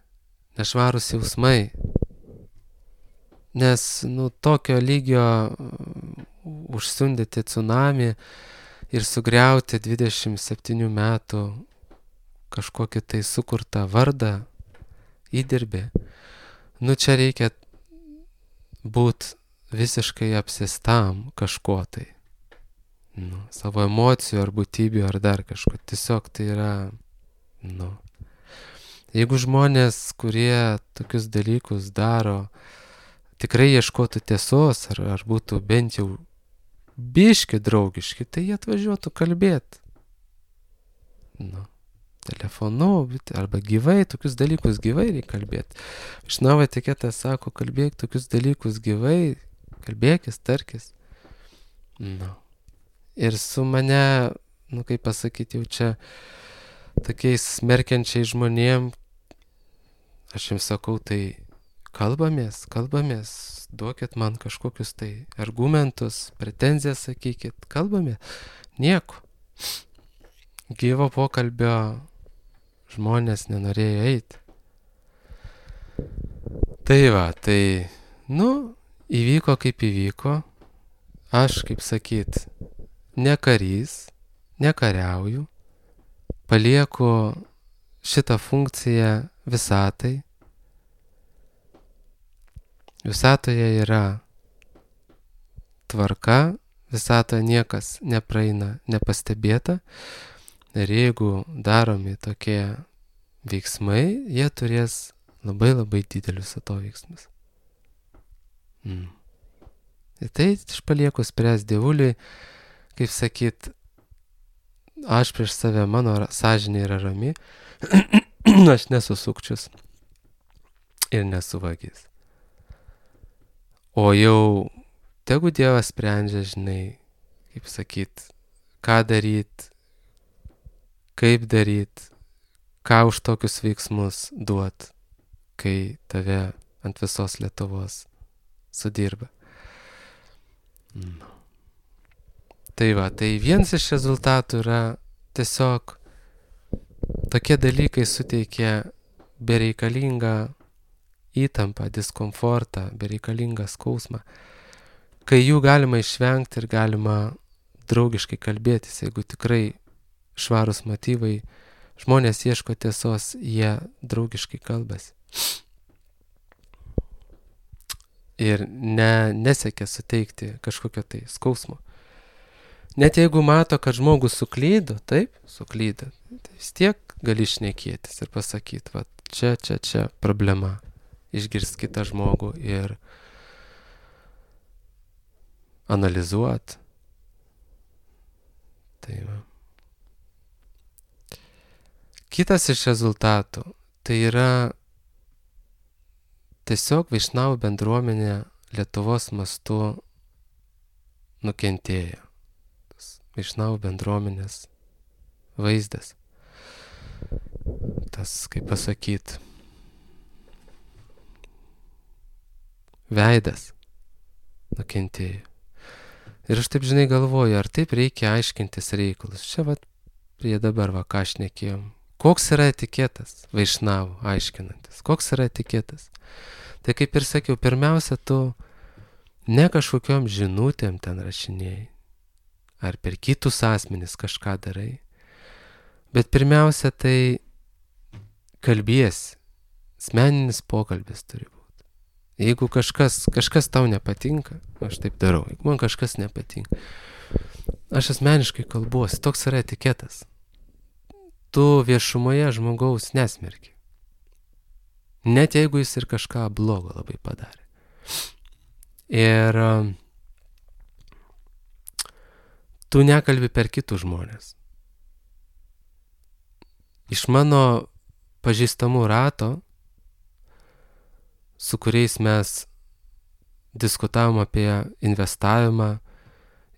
nešvarūs jausmai. Nes, tokio lygio užsiundyti tsunami ir sugriauti 27 metų kažkokį tai sukurtą vardą, įdirbį. Čia reikia būt visiškai apsėstam kažko tai. Savo emocijų ar būtybių ar dar kažko. Tiesiog tai yra, jeigu žmonės, kurie tokius dalykus daro, tikrai ieškotų tiesos ar būtų bent jau biški draugiški, tai jie atvažiuotų kalbėti. Telefonu arba gyvai, tokius dalykus gyvai reikia kalbėti. Vaišnavų etiketas sako, kalbėk tokius dalykus gyvai, kalbėkis, tarkis. Nu. Ir su mane, kaip pasakyti, jau čia tokiais smerkiančiais žmonėm, aš jums sakau, tai kalbamės, duokit man kažkokius tai argumentus, pretenzijas sakykit, kalbamės, nieko. Gyvo pokalbio žmonės nenorėjo eiti. Tai va, įvyko kaip įvyko, aš, kaip sakyt, ne karys, nekariauju, palieku šitą funkciją visatai. Visatoje yra tvarka, visatoje niekas nepraeina nepastebėta ir jeigu daromi tokie veiksmai, jie turės labai labai didelius atoveiksmus. Ir tai aš palieku spręs dievuliui, kaip sakyt, aš prieš save, mano sąžinė yra rami, aš nesu sukčius ir nesu vagis. O jau tegu Dievas sprendžia, žinai, kaip sakyt, ką daryt, kaip daryt, ką už tokius veiksmus duot, kai tave ant visos Lietuvos sudirba. Tai va, tai vienas iš rezultatų yra tiesiog tokie dalykai suteikia bereikalingą įtampą, diskomfortą, bereikalingą skausmą, kai jų galima išvengti ir galima draugiškai kalbėtis, jeigu tikrai švarūs motyvai, žmonės ieško tiesos, jie draugiškai kalbasi. Ir nesiekia suteikti kažkokio tai skausmo. Net jeigu mato, kad žmogus suklydo, taip, suklydo, tai vis tiek gali šnekėtis ir pasakyti, va, čia problema. Išgirst kitą žmogų ir analizuot. Tai va. Kitas iš rezultatų tai yra tiesiog Vaišnavų bendruomenė Lietuvos mastu nukentėjo. Tas Vaišnavų bendruomenės vaizdas. Tas, kaip pasakyt, veidas nukentėjo. Ir aš taip, žinai, galvoju, ar taip reikia aiškintis reikalus. Čia prie dabar ką šnekėjom. Koks yra etiketas Vaišnavų aiškinantis? Koks yra etiketas? Tai kaip ir sakiau, pirmiausia, tu ne kažkokiom žinutėm ten rašinėjai, ar per kitus asmenis kažką darai, bet pirmiausia, tai kalbiesi, asmeninis pokalbis turi būti. Jeigu kažkas tau nepatinka, aš taip darau, jeigu man kažkas nepatinka, aš asmeniškai kalbuosi, toks yra etiketas. Tu viešumoje žmogaus nesmerki. Net jeigu jis ir kažką blogo labai padarė. Ir tu nekalbi per kitus žmonės. Iš mano pažįstamų rato, su kuriais mes diskutavom apie investavimą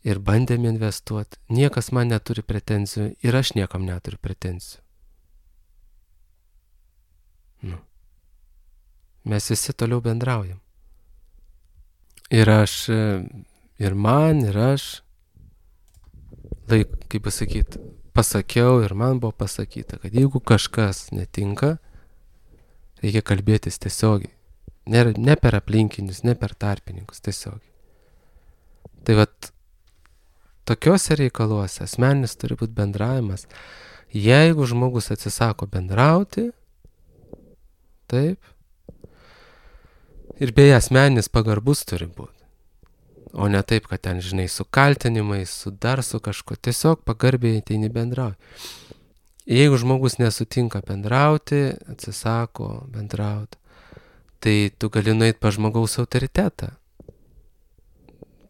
ir bandėm investuoti, niekas man neturi pretenzijų ir aš niekam neturiu pretenzijų. Mes visi toliau bendraujam. Ir aš, ir aš, kaip pasakyti, pasakiau ir man buvo pasakyta, kad jeigu kažkas netinka, reikia kalbėtis tiesiogiai. Ne per aplinkinius, ne per tarpininkus, tiesiogiai. Tai tokiuose reikaluose asmeninis turi būti bendravimas. Jeigu žmogus atsisako bendrauti, taip, ir beje asmeninis pagarbus turi būti. O ne taip, kad ten, žinai, su kaltinimais, su kažko, tiesiog pagarbiai ateini bendrauti. Jeigu žmogus nesutinka bendrauti, atsisako bendrauti, tai tu gali nueiti pas žmogaus autoritetą.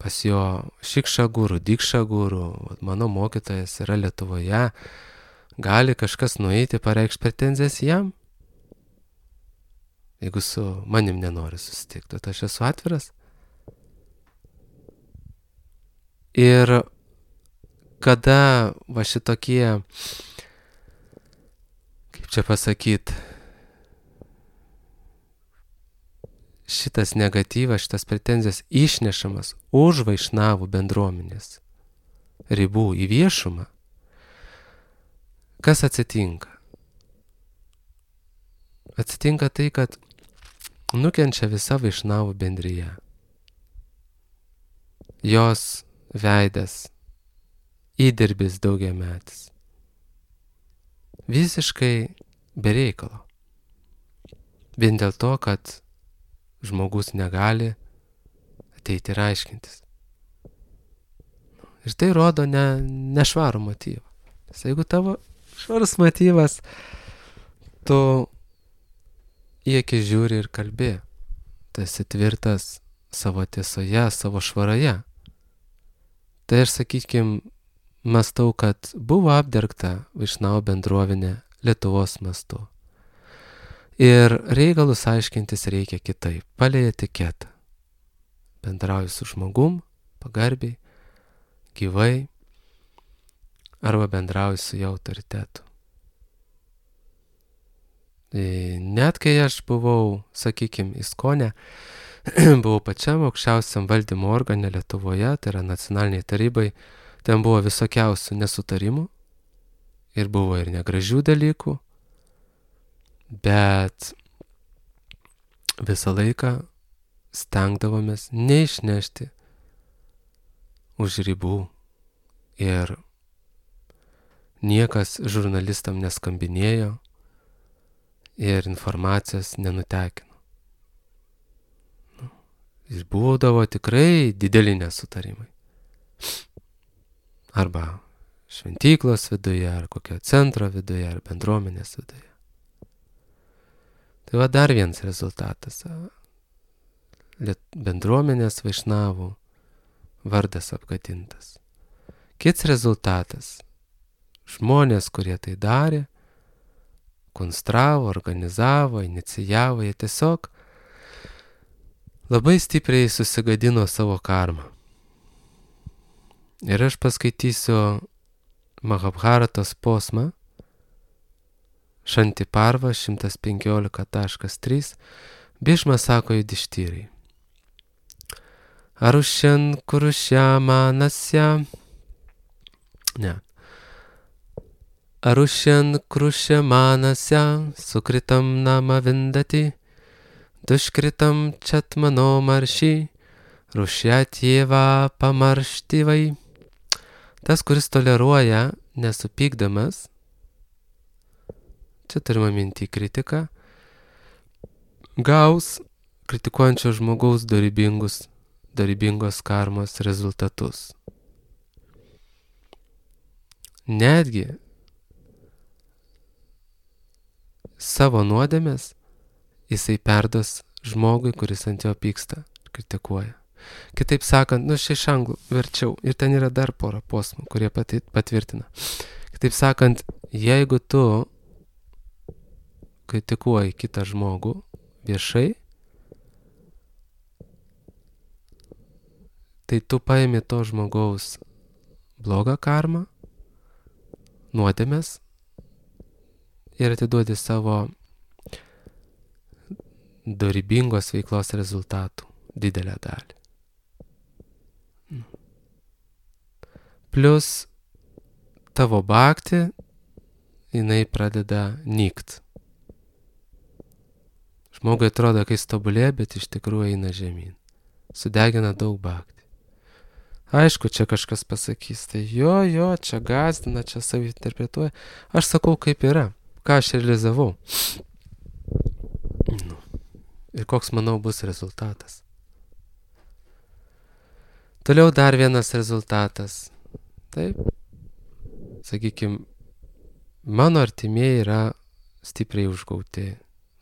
Pas jo šikšą gurų, dikšą gurų, mano mokytojas yra Lietuvoje, gali kažkas nueiti, pareikšti pretenzijas jam. Jeigu su manim nenori susitikti, tai aš esu atviras. Ir kada va šitokie, kaip čia pasakyt, šitas negatyvas, šitas pretenzijas išnešamas už vaišnavų bendruomenės ribų į viešumą, kas atsitinka? Atsitinka tai, kad nukenčia visa vaišnavų bendryje. Jos veidas, įdirbis daugiametis. Visiškai be reikalo. Vien dėl to, kad žmogus negali ateiti ir aiškintis. Ir tai rodo nešvarų motyvą. Nes jeigu tavo švarus motyvas, tu į akis žiūri ir kalbi. Tu esi tvirtas savo tiesoje, savo švaroje. Tai aš, sakykim, mąstau, kad buvo apdergta vaišnavų bendruomenė Lietuvos mastu. Ir reikalus aiškintis reikia kitaip, palei etiketą. Bendrauji su žmogum, pagarbiai, gyvai, arba bendrauji su jo autoritetu. Net kai aš buvau, sakykim, ISKONE, buvau pačiam aukščiausiam valdymo organe Lietuvoje, tai yra nacionaliniai tarybai, ten buvo visokiausių nesutarimų ir buvo ir negražių dalykų, bet visą laiką stengdavomės neišnešti už ribų ir niekas žurnalistam neskambinėjo ir informacijos nenutekino. Ir būdavo tikrai dideli nesutarimai. Arba šventyklos viduje, ar kokio centro viduje, ar bendruomenės viduje. Tai va dar vienas rezultatas. Bendruomenės vaišnavų vardas apgadintas. Kits rezultatas. Žmonės, kurie tai darė, konstravo, organizavo, inicijavo, jie tiesiog labai stipriai susigadino savo karmą. Ir aš paskaitysiu Mahabharatos posmą, Šanti Parva 115.3. Bhishma sako Judištyrai. Arušyan kurušyamanasya. Arušyan krušyamanasya sukritam nama vindati duškritam čatmano marši rušyatjeva pamarštyvai. Tas, kuris toleruoja nesupykdamas, čia turime minti kritiką, gaus kritikuojančio žmogaus dorybingos karmos rezultatus. Netgi savo nuodėmės jisai perduos žmogui, kuris ant jo pyksta, kritikuoja. Kitaip sakant, čia iš anglų verčiau, ir ten yra dar pora posmų, kurie patvirtina. Kitaip sakant, jeigu tu kritikuoji kitą žmogų viešai, tai tu paimi to žmogaus blogą karmą, nuodėmes ir atiduodi savo dorybingos veiklos rezultatų didelę dalį. Plius tavo bhakti, jinai pradeda nykt. Žmogui atrodo, kai jis tobulėja, bet iš tikrųjų eina žemyn. Sudegina daug bhakti. Aišku, čia kažkas pasakys, tai jo, čia gąsdina, čia savį interpretuoja. Aš sakau, kaip yra, ką aš realizavau. Ir koks, manau, bus rezultatas. Toliau dar vienas rezultatas. Taip, sakykime, mano artimieji yra stipriai užgauti.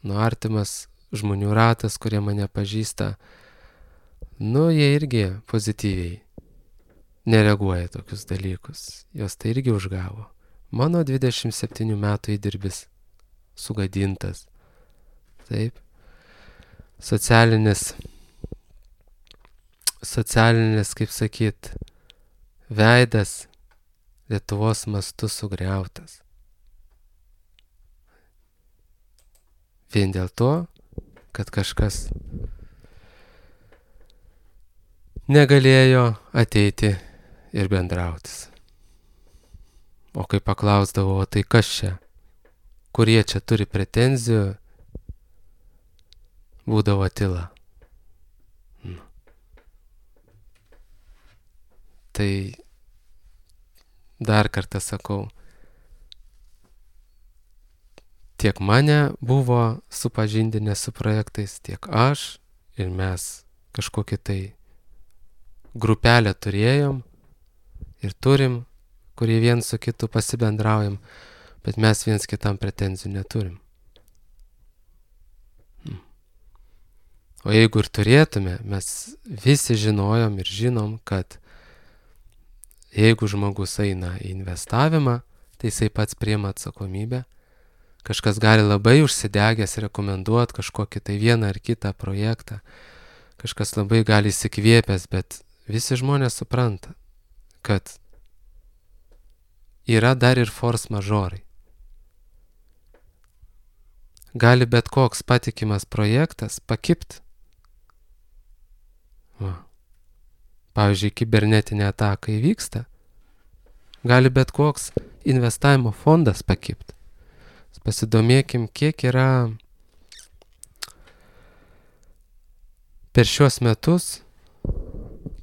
Artimas žmonių ratas, kurie mane pažįsta, jie irgi pozityviai nereaguoja tokius dalykus. Jos tai irgi užgavo. Mano 27 metų įdirbis sugadintas. Taip. Socialinis, kaip sakyt, veidas Lietuvos mastu sugriautas. Vien dėl to, kad kažkas negalėjo ateiti ir bendrautis. O kai paklausdavo, o tai kas čia, kurie čia turi pretenzijų, būdavo tyla. Tai dar kartą sakau, tiek mane buvo supažindinę su projektais, tiek aš ir mes kažkokį tai grupelę turėjom ir turim, kurie viens su kitu pasibendraujam, bet mes viens kitam pretenzijų neturim. O jeigu ir turėtume, mes visi žinojom ir žinom, kad jeigu žmogus eina į investavimą, tai jisai pats priima atsakomybę. Kažkas gali labai užsidegęs rekomenduoti kažkokį tai vieną ar kitą projektą. Kažkas labai gali įsikvėpęs, bet visi žmonės supranta, kad yra dar ir force majorai. Gali bet koks patikimas projektas pakipt. Pavyzdžiui, kibernetinė ataka įvyksta, gali bet koks investavimo fondas pakipt. Pasidomėkim, kiek yra per šiuos metus,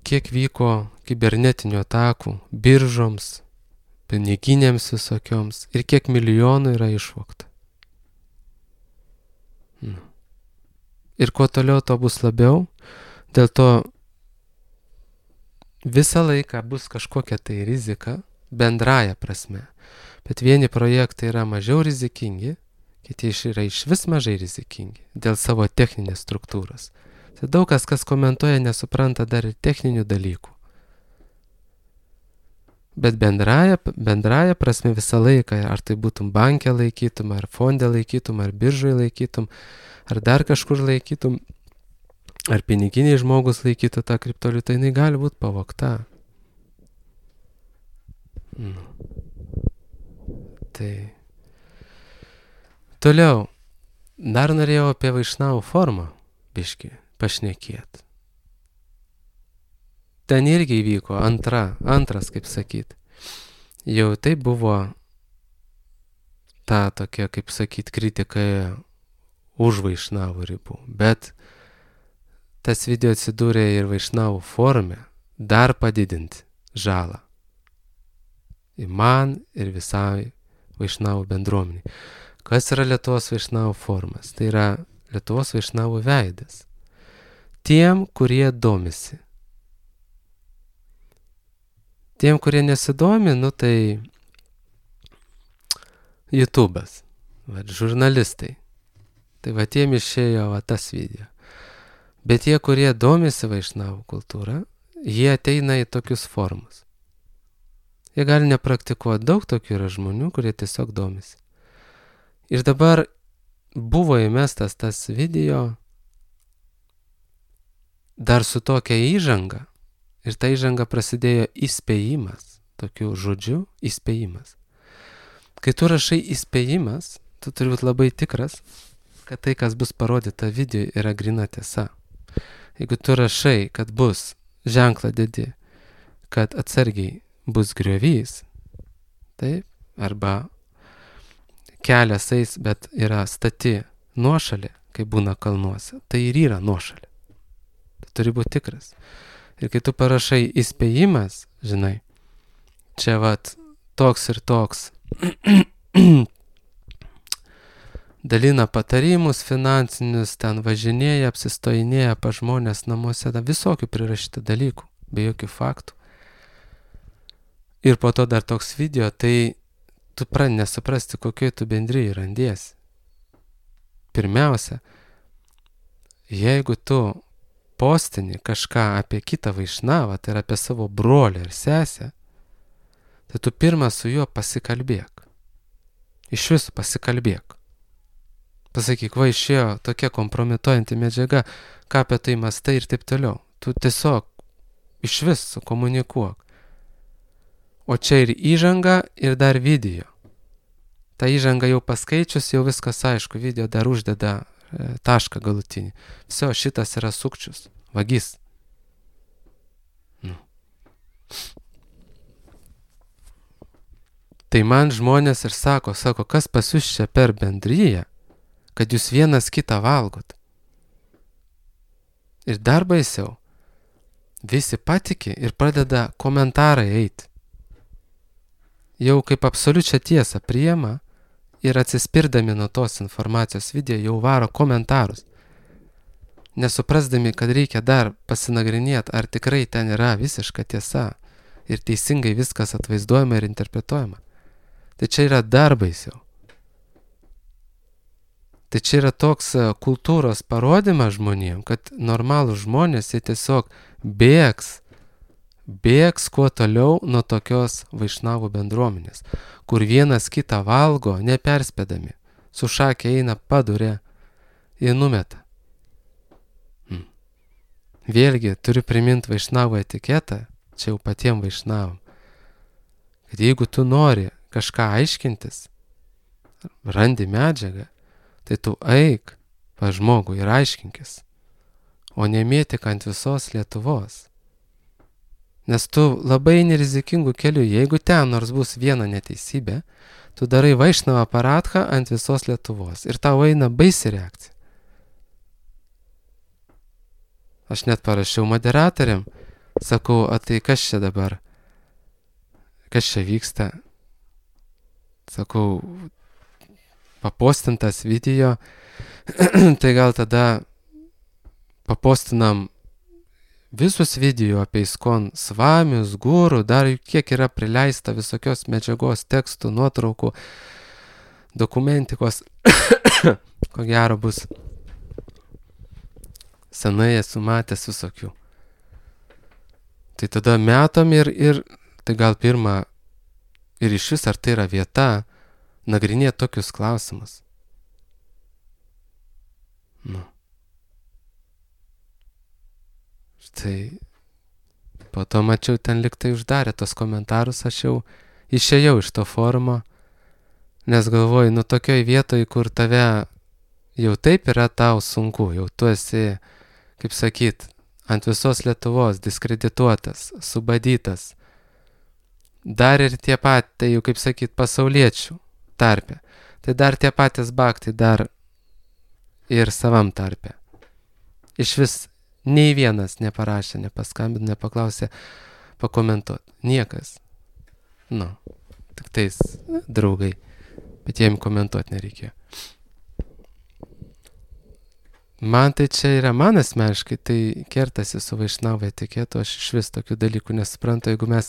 kiek vyko kibernetinių atakų biržoms, piniginėms visokioms ir kiek milijonų yra išvogta. Ir kuo toliau, to bus labiau, dėl to visą laiką bus kažkokia tai rizika bendraja prasme. Bet vieni projektai yra mažiau rizikingi, kiti yra išvis mažai rizikingi dėl savo techninės struktūros. Tai daug kas komentuoja, nesupranta dar ir techninių dalykų. Bet bendraja prasme visą laiką, ar tai būtum banke laikytum, ar fonde laikytum, ar biržoje laikytum, ar dar kažkur laikytum, ar piniginiai žmogus laikytų tą kriptovaliutą, jinai gali būti pavogta. Tai toliau, dar norėjau apie Vaišnavų formą biškį pašnekėti. Ten irgi įvyko antras, kaip sakyt. Jau tai buvo ta tokia, kaip sakyt, kritika už Vaišnavų ribų, bet tas video atsidūrė ir Vaišnavų forume dar padidinti žalą. Ir man, ir visai Vaišnavų bendruomeniai. Kas yra Lietuvos Vaišnavų forumas? Tai yra Lietuvos Vaišnavų veidas. Tiem, kurie domisi. Tiem, kurie nesidomi, tai YouTube'as, žurnalistai. Tai tiem išėjo tas video. Bet tie, kurie domisi Vaišnavų kultūrą, jie ateina į tokius forumus. Jie gali nepraktikuoti, daug tokių yra žmonių, kurie tiesiog domisi. Ir dabar buvo įmestas tas video dar su tokia įžanga. Ir ta įžanga prasidėjo įspėjimas, tokiu žodžiu įspėjimas. Kai tu rašai įspėjimas, tu turi būti labai tikras, kad tai, kas bus parodyta video, yra grina tiesa. Jeigu tu rašai, kad bus ženklą dedi, kad atsargiai bus griovys, taip, arba kelias eis, bet yra stati nuošalė, kai būna kalnuose, tai ir yra nuošalė. Tu turi būti tikras. Ir kai tu parašai įspėjimas, žinai, čia toks ir toks dalina patarimus finansinius, ten važinėja, apsistojinėja pa žmonės namuose, visokių prirašyta dalykų, be jokių faktų. Ir po to dar toks video, tai tu pradedi nesuprasti, kokioj tu bendrijai randiesi. Pirmiausia, jeigu tu postini kažką apie kitą Vaišnavą, tai yra apie savo brolį ar sesę, tai tu pirmą su juo pasikalbėk. Iš viso pasikalbėk. Pasakyk, išėjo tokia kompromituojanti medžiaga, ką apie tai mąstai ir taip toliau. Tu tiesiog iš viso komunikuok. O čia ir įžanga, ir dar video. Ta įžanga jau paskaičius, jau viskas aišku, video dar uždeda tašką galutinį. Viso, šitas yra sukčius, vagis. Tai man žmonės ir sako, kas pas jūs čia per bendryją, kad jūs vienas kitą valgot. Ir dar baisiau, visi patiki ir pradeda komentarai eiti. Jau kaip absoliučią tiesą priima ir atsispirdami nuo tos informacijos video jau varo komentarus. Nesuprasdami, kad reikia dar pasinagrinėti, ar tikrai ten yra visiška tiesa ir teisingai viskas atvaizduojama ir interpretuojama. Tai čia yra dar baisiau. Tai čia yra toks kultūros parodymas žmonėm, kad normalūs žmonės jie tiesiog bėgs kuo toliau nuo tokios vaišnavų bendruomenės, kur vienas kitą valgo neperspėdami, su šakė eina padurė ir numeta. Vėlgi turiu priminti vaišnavų etiketą, čia jau patiem vaišnavam, kad jeigu tu nori kažką aiškintis, randi medžiagą, tai tu eik pas žmogų ir aiškinkis, o nemėtik ant visos Lietuvos. Nes tu labai nerizikingų kelių, jeigu ten nors bus viena neteisybė, tu darai vaišnavą paradchą ant visos Lietuvos ir tau eina baisi reakcija. Aš net parašiau moderatoriam, sakau, o tai kas čia dabar? Kas čia vyksta? Sakau, papostintas video, tai gal tada papostinam visus video apie ISKCON svamius, gurų, dar kiek yra prileista visokios medžiagos, tekstų, nuotraukų, dokumentikos, ko gero bus. Senai esu matęs visokių. Tai tada metam ir tai gal pirmą ir iš vis ar tai yra vieta nagrinėti tokius klausimus. Štai po to mačiau ten liktai uždarė tos komentarus, aš jau išėjau iš to forumo, nes galvoju, tokioj vietoj, kur tave jau taip yra tau sunku, jau tu esi, kaip sakyt, ant visos Lietuvos diskredituotas, subadytas. Dar ir tie pat, tai jau kaip sakyt, pasauliečių tarpe. Tai dar tie patys baktai dar ir savam tarpe. Iš vis nei vienas neparašė, nepaskambino, nepaklausė pakomentuoti. Niekas. Tik tais draugai. Bet jiem komentuoti nereikėjo. Man tai čia yra, man asmeniškai, tai kertasi su vaišnavo etiketu, aš iš vis tokių dalykų nesuprantu, jeigu mes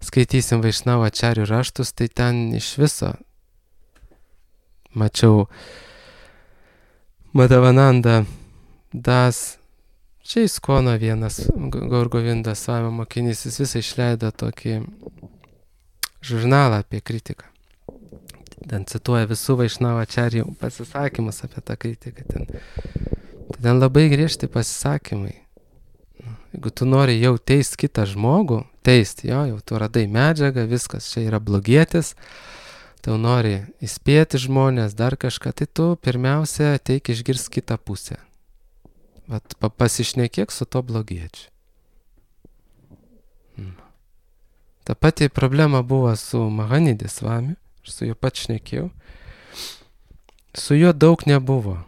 skaitysim vaišnavo ačarių raštus, tai ten iš viso mačiau Madhavananda Das, čia ISKCONo vienas Gaur Govindas Svamio mokinys, jis visą išleido tokį žurnalą apie kritiką. Ten cituoja visų vaišnavo ačarijų pasisakymus apie tą kritiką. Ten labai griežti pasisakymai. Jeigu tu nori jau teist kitą žmogų, jau tu radai medžiagą, viskas čia yra blogietis, tau nori įspėti žmonės, dar kažką, tai tu pirmiausia ateik išgirst kitą pusę. Vat pasišnekėk su to blogiečiu. Ta pati problema buvo su Mahanidis Svamiu, aš su juo pat šnekėjau. Su juo daug nebuvo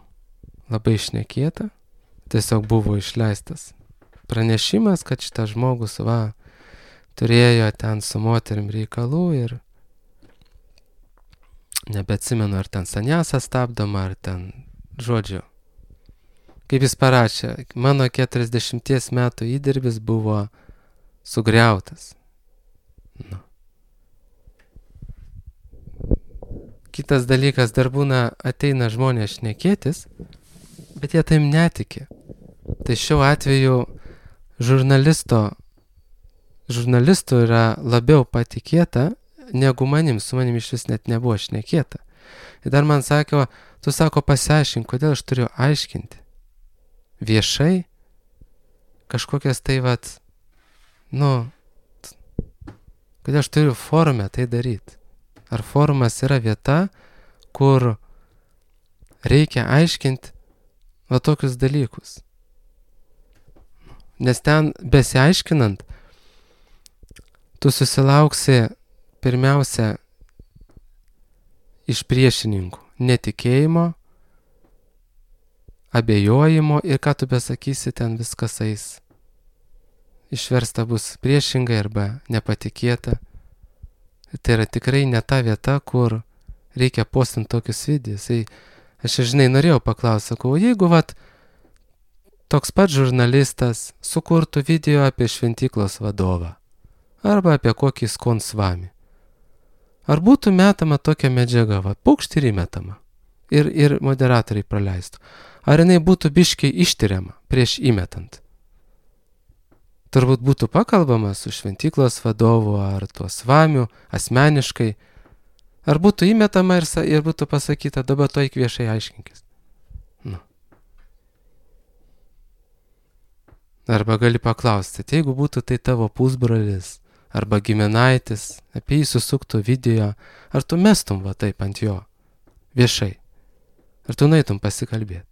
labai šnekėta, tiesiog buvo išleistas pranešimas, kad šitas žmogus turėjo ten su moterim reikalų ir nebeatsimenu, ar ten sanjasą stabdoma, ar ten žodžiu. Kaip jis parašė, mano 40 metų įdirbis buvo sugriautas. Kitas dalykas, dar būna ateina žmonės šnekėtis, bet jie taim netiki. Tai šiuo atveju žurnalistų yra labiau patikėta, negu manim, su manim iš vis net nebuvo šnekėta. Ir dar man sakė, tu sako pasiaiškink, kodėl aš turiu aiškinti. Viešai kažkokias tai kad Kodėl aš turiu forume tai daryti? Ar forumas yra vieta, kur reikia aiškinti va tokius dalykus? Nes ten besiaiškinant, tu susilauksi pirmiausia iš priešininkų netikėjimo, abejojimo ir ką tu besakysi, ten viskas eis. Išversta bus priešingai arba nepatikėta. Tai yra tikrai ne ta vieta, kur reikia postinti tokius videos. Aš norėjau paklausti, sakau, jeigu toks pat žurnalistas sukurtų video apie šventyklos vadovą arba apie kokį skonsvamį, ar būtų metama tokia medžiaga, pukšt ir įmetama ir moderatoriai praleistų? Ar jinai būtų biškiai ištiriama prieš įmetant? Turbūt būtų pakalbama su šventyklos vadovu ar tuo svamiu asmeniškai. Ar būtų įmetama ir būtų pasakyta, dabar to eik viešai aiškinkis. Arba gali paklausti, jeigu būtų tai tavo pusbrolis arba giminaitis, apie jį susuktų video, ar tu mestum taip ant jo viešai? Ar tu nueitum pasikalbėti?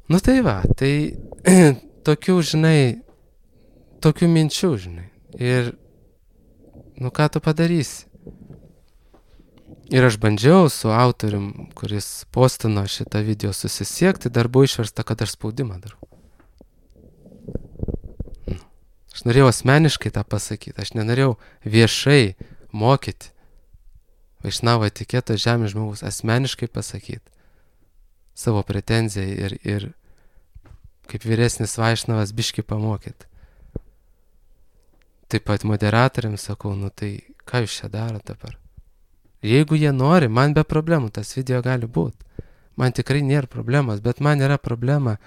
Tai tokių minčių, Ir, ką tu padarysi? Ir aš bandžiau su autorium, kuris postino šitą video, susisiekti, dar buvo išversta, kad aš spaudimą darau. Aš norėjau asmeniškai tą pasakyti, aš nenorėjau viešai mokyti Vaišnavo etiketo žemės žmogus, asmeniškai pasakyti savo pretenziją ir kaip vyresnis Vaišnavas biškį pamokyti. Taip pat moderatoriams sakau, tai ką jūs čia daro dabar? Jeigu jie nori, man be problemų tas video gali būti. Man tikrai nėra problemos, bet man yra problema,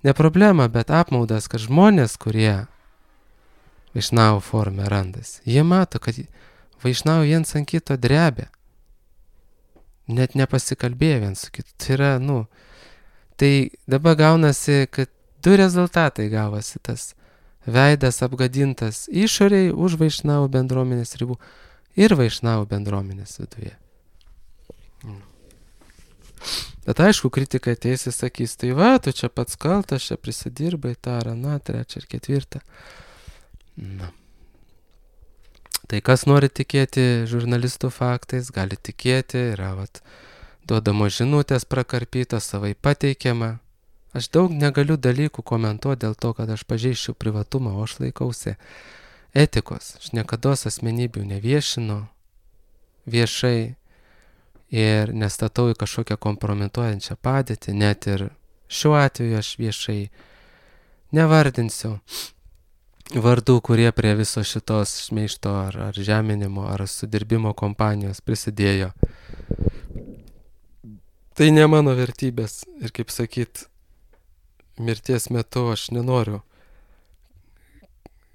ne problema, bet apmaudas, kad žmonės, kurie Vaišnavo forume randasi, jie mato, kad Vaišnavo viens ant kito drebia. Net nepasikalbėjo viens su kitu. Tai yra, tai dabar gaunasi, kad du rezultatai gavosi, tas veidas apgadintas išoriai už Vaišnavo bendruomenės ribų ir Vaišnavo bendruomenės viduje. Bet aišku, kritikai ateis ir sakys, tai tu čia pats kaltas, čia prisidirbai tą ar aną, trečią ir ketvirtą. Tai kas nori tikėti žurnalistų faktais, gali tikėti, yra duodamos žinutės prakarpytos, savai pateikiama. Aš daug negaliu dalykų komentuoti dėl to, kad aš pažeisčiau privatumą, o aš laikausi etikos. Aš niekados asmenybių neviešinu viešai ir nestatau į kažkokią kompromituojančią padėtį, net ir šiuo atveju aš viešai nevardinsiu vardų, kurie prie viso šitos šmeižto ar žeminimo ar sudirbimo kompanijos prisidėjo. Tai ne mano vertybės ir kaip sakyt, mirties metu aš nenoriu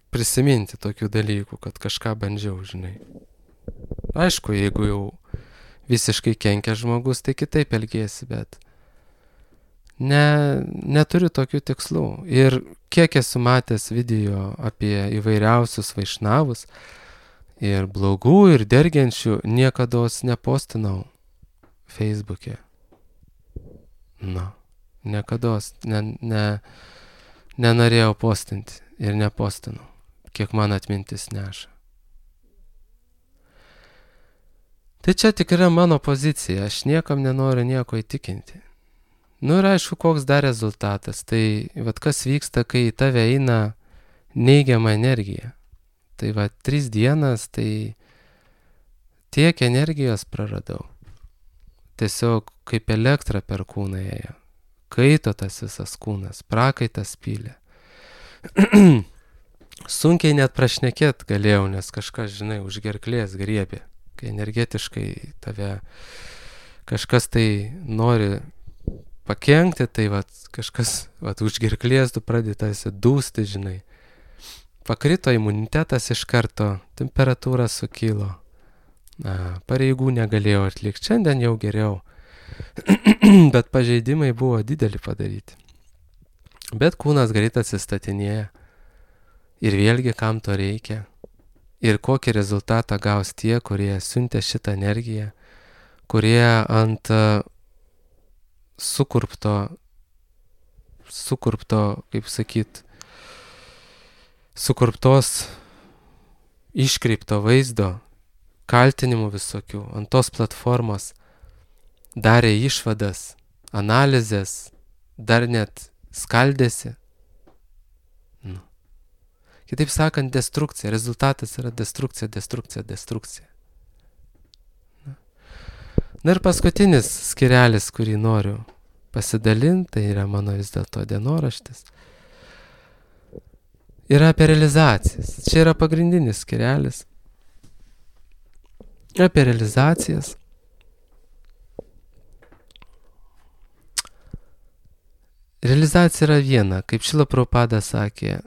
prisiminti tokių dalykų, kad kažką bandžiau, Aišku, jeigu jau visiškai kenkia žmogus, tai kitaip elgiesi, bet neturiu tokių tikslų. Ir kiek esu matęs video apie įvairiausius Vaišnavus ir blogų ir dergiančių, niekados nepostinau Facebook'e. Niekados nenorėjau postinti ir nepostinau, kiek man atmintis neša. Tai čia tik yra mano pozicija, aš niekam nenoriu nieko įtikinti. Ir aišku, koks dar rezultatas, tai kas vyksta, kai į tave eina neigiama energija. Tai 3 dienas, tai tiek energijos praradau. Tiesiog kaip elektra per kūną ėjo. Kaito tas visas kūnas, prakaitas pylė. Sunkiai net prašnekėt galėjau, nes kažkas, už gerklės griebė. Kai energetiškai tave kažkas tai nori pakenkti, tai kažkas už gerklės tu pradėtasi dūsti, Pakrito imunitetas iš karto, temperatūra sukilo. Pareigų negalėjau atlikti, šiandien jau geriau. Bet pažeidimai buvo dideli padaryti. Bet kūnas greit atsistatinėja. Ir vėlgi, kam to reikia. Ir kokį rezultatą gaus tie, kurie siuntė šitą energiją, kurie ant sukurpto, kaip sakyt, sukurptos iškreipto vaizdo, kaltinimų visokių, ant tos platformos darė išvadas, analizės, dar net skaldėsi. Kitaip sakant, destrukcija. Rezultatas yra destrukcija. Na ir paskutinis skirelis, kurį noriu pasidalinti, tai yra mano vis dėlto dienoraštis. Yra apie realizacijas. Čia yra pagrindinis skirelis. Apie realizacijas. Realizacija yra viena, kaip Šrila Prabhupada sakė,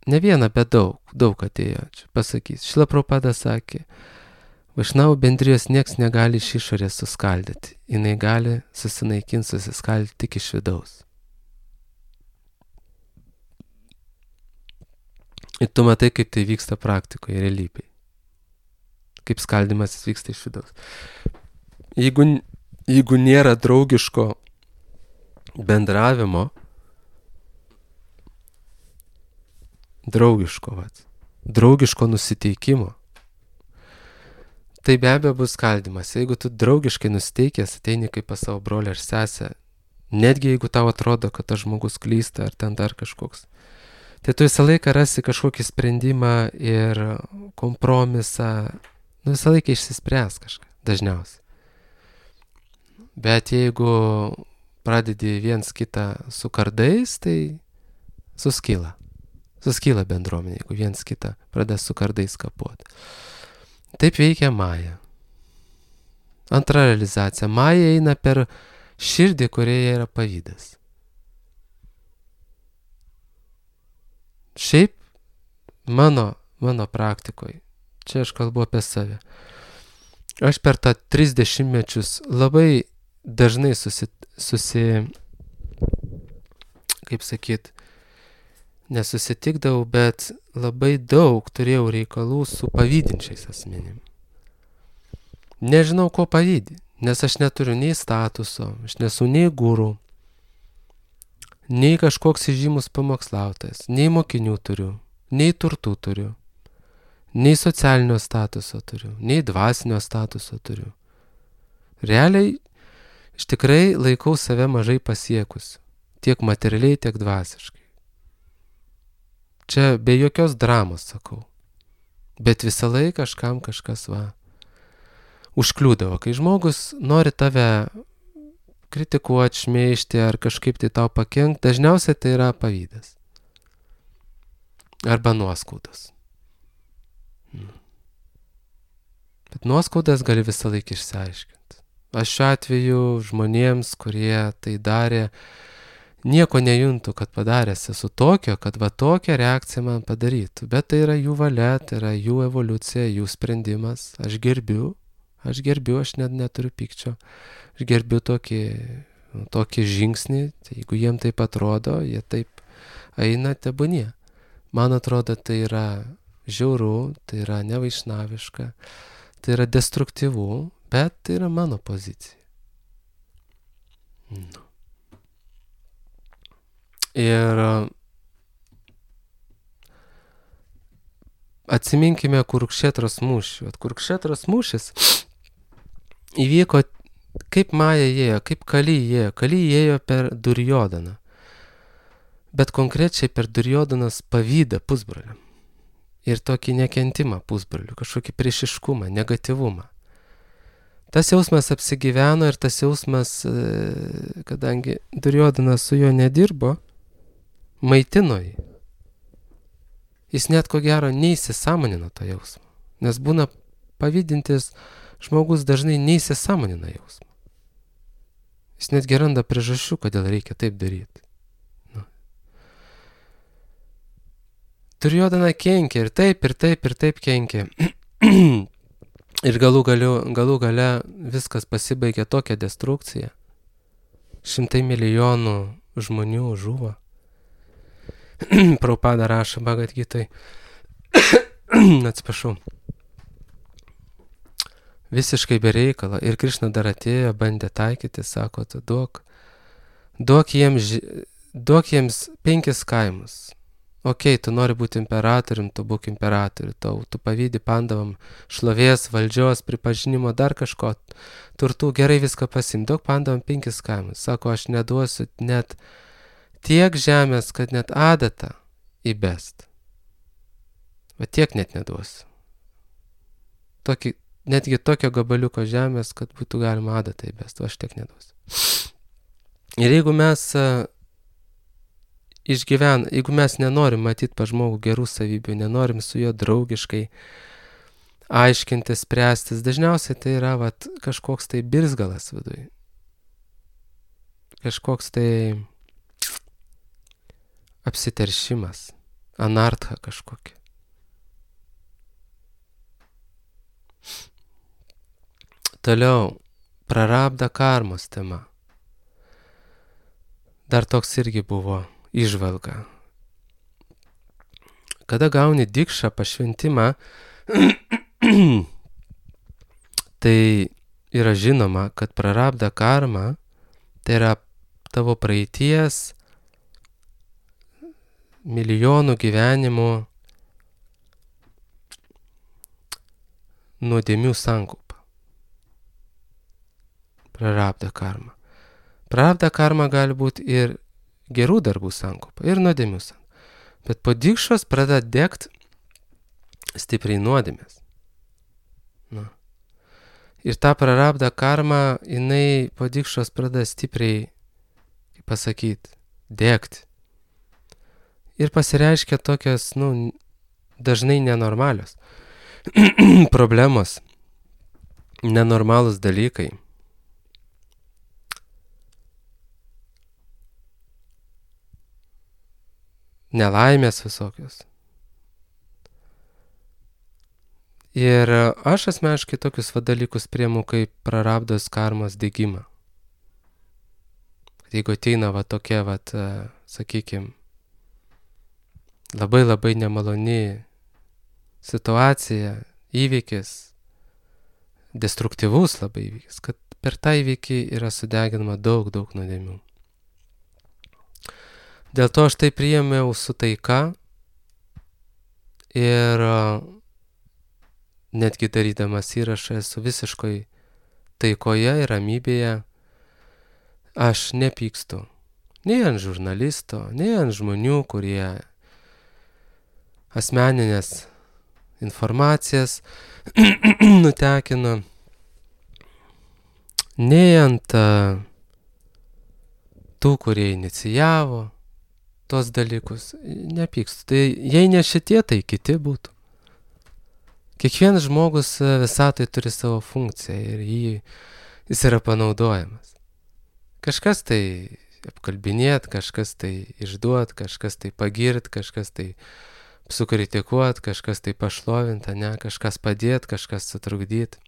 ne viena, bet daug atėjo, čia pasakys. Šrila Prabhupada sakė, Vaišnavų bendrijos nieks negali iš išorės suskaldyti, jinai gali susinaikinti, susiskaldyti tik iš vidaus. Ir tu matai, kaip tai vyksta praktikoje, realybėje. Kaip skaldimas vyksta iš vidaus. Jeigu nėra draugiško bendravimo, draugiško nusiteikimo, tai be abejo bus skaldimas. Jeigu tu draugiškai nusiteikęs, ateini kaip pas savo brolį ar sesę, netgi jeigu tau atrodo, kad tas žmogus klysta ar ten dar kažkoks, tai tu visą laiką rasi kažkokį sprendimą ir kompromisą, visą laiką išsispręs kažką, dažniausiai. Bet jeigu pradedi viens kitą su kardais, tai suskyla bendruomenė, jeigu viens kitą pradeda su kardais kapuoti. Taip veikia Maja. Antra realizacija. Maja eina per širdį, kurioje yra pavydas. Šiaip mano praktikoje, čia aš kalbu apie save, aš per tą 30 mečius labai dažnai kaip sakyt, nesusitikdavau, bet labai daug turėjau reikalų su pavydinčiais asmenim. Nežinau, ko pavydi, nes aš neturiu nei statuso, aš nesu nei guru, nei kažkoks įžymus pamokslautojas, nei mokinių turiu, nei turtų turiu, nei socialinio statuso turiu, nei dvasinio statuso turiu. Realiai, aš tikrai laikau save mažai pasiekusiu, tiek materialiai, tiek dvasiškai. Čia be jokios dramos sakau, bet visą laiką kažkas užkliūdavo. Kai žmogus nori tave kritikuoti, šmeižti ar kažkaip tai tau pakenkti, dažniausiai tai yra pavydas. Arba nuoskaudos. Bet nuoskaudas gali visą laiką išsiaiškinti. Aš šiuo atveju žmonėms, kurie tai darė, nieko nejuntu, kad padaręs esu tokio, kad tokią reakciją man padarytų. Bet tai yra jų valia, tai yra jų evoliucija, jų sprendimas. Aš gerbiu, aš net neturiu pykčio. Aš gerbiu tokį žingsnį, tai jeigu jiem taip atrodo, jie taip eina, tebūnie. Man atrodo, tai yra žiauru, tai yra nevaišnaviška, tai yra destruktyvu, bet tai yra mano pozicija. Ir atsiminkime Kurukšetros mūšį. Kurukšetros mūšis įvyko, kaip Maja ėjo, kaip Kali ėjo. Kali ėjo per Durjodaną. Bet konkrečiai per Durjodanos pavydą pusbroliam. Ir tokį nekentimą pusbrolių, kažkokį priešiškumą, negatyvumą. Tas jausmas apsigyveno ir tas jausmas, kadangi Durjodanas su juo nedirbo, maitino jį. Jis net ko gero neįsisąmonino tą jausmą. Nes būna pavydintis žmogus dažnai neįsisąmonina jausmą. Jis net randa priežasčių, kodėl reikia taip daryti. Duryodana kenkia ir taip kenkia. Ir galų gale viskas pasibaigė tokia destrukcija. 100 milijonų žmonių žuvo. Prabhupada rašo Bhagavad Gitoj. Atsiprašau. Visiškai be reikalo. Ir Krišna dar atėjo, bandė taikyti, sako, tu duok jiems 5 kaimus. Ok, tu nori būti imperatorium, tu būk imperatoriu, tu pavydi pandavam šlovės, valdžios, pripažinimo, dar kažko, turtų, gerai viską pasim, duok pandavam 5 kaimus. Sako, aš neduosiu net tiek žemės, kad net adatą įbest. Va tiek net neduosiu. Netgi tokio gabaliuko žemės, kad būtų galima adatą įbest, aš tiek neduosiu. Ir jeigu mes jeigu mes nenorim matyti pa žmogų gerų savybių, nenorim su juo draugiškai aiškintis, spręstis, dažniausiai tai yra kažkoks tai birzgalas viduj. Kažkoks tai apsiteršimas, anartha kažkokia. Toliau, prarabda karmos tema. Dar toks irgi buvo įžvalga. Kada gauni dikšą, pašventimą, tai yra žinoma, kad prarabda karma, tai yra tavo praeities milijonų gyvenimų nuodėmių sankaupa. Prarabda karma. Prarabda karma gali būti ir gerų darbų sankaupa, ir nuodėmių sankaupa. Bet po dikšos pradeda degt stipriai nuodėmės. Ir ta prarabda karma, jinai po dikšos pradeda stipriai, kaip pasakyti, degti. Ir pasireiškia tokios, dažnai nenormalios problemos, nenormalūs dalykai. Nelaimės visokios. Ir aš asmeniškai tokius dalykus priimu kaip prarabdos karmos degimą. Jeigu ateina tokia, sakykime, labai labai nemaloni situacija, įvykis, destruktyvus labai įvykis, kad per tą įvykį yra sudeginama daug nuodėmių. Dėl to aš tai priėmiau su taika ir netgi darydamas įrašą esu visiškai taikoje ir ramybėje. Aš nepykstu nei ant žurnalisto, nei ant žmonių, kurie asmeninės informacijas nutekino, nei ant tų, kurie inicijavo tos dalykus, nepykstu. Tai jei ne šitie, tai kiti būtų. Kiekvienas žmogus visatai turi savo funkciją ir jis yra panaudojamas. Kažkas tai apkalbinėt, kažkas tai išduot, kažkas tai pagirt, kažkas tai sukritikuot, kažkas tai pašlovint, kažkas padėt, kažkas sutrukdyt.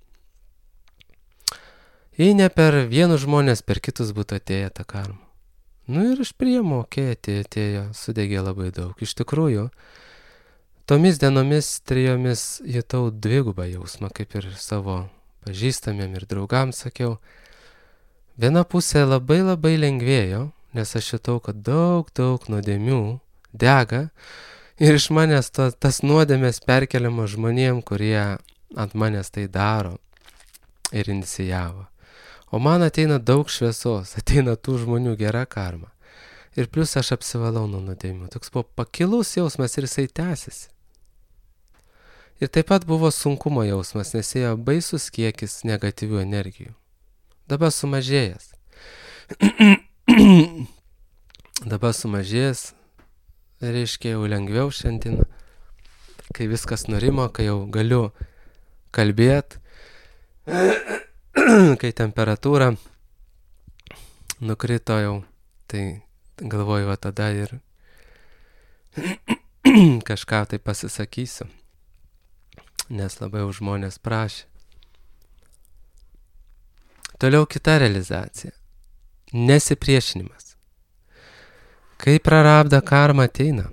Jei ne per vienus žmonės, per kitus būtų atėję tą karmą. Ir aš priimu, atėjo, sudegė labai daug. Iš tikrųjų, tomis dienomis 3 jutau dvigubą jausmą, kaip ir savo pažįstamiem ir draugams sakiau. Viena pusė labai labai lengvėjo, nes aš jutau, kad daug nuodėmių dega ir iš manęs tas nuodėmės perkeliama žmonėm, kurie ant manęs tai daro ir inicijavo. O man ateina daug šviesos, ateina tų žmonių gera karma. Ir plus aš apsivalau nuo nuodėmių. Toks buvo pakilus jausmas ir jisai tęsiasi. Ir taip pat buvo sunkumo jausmas, nes ėjo baisus kiekis negatyvių energijų. Dabar sumažėjęs. Reiškia jau lengviau šiandien, kai viskas nurimo, kai jau galiu kalbėti. Kai temperatūra nukrito jau, tai galvoju, tada ir kažką tai pasisakysiu, nes labai jau žmonės prašė. Toliau kita realizacija. Nesipriešinimas. Kai prarabda karma ateina.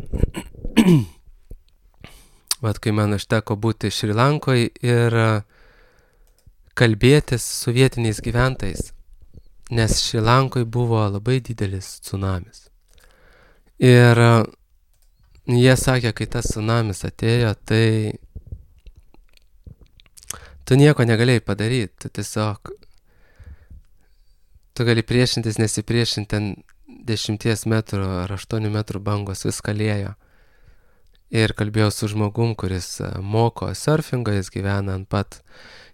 Vat kai man užteko būti Šri Lankoje ir kalbėtis su vietiniais gyventojais, nes Šri Lankoje buvo labai didelis tsunamis. Ir jie sakė, kai tas tsunamis atėjo, tai tu nieko negalėjai padaryti, tu tiesiog, tu gali priešintis, nesipriešinti, ten 10 metrų ar 8 metrų bangos viską liejo. Ir kalbėjau su žmogum, kuris moko surfingo, jis gyvena ant pat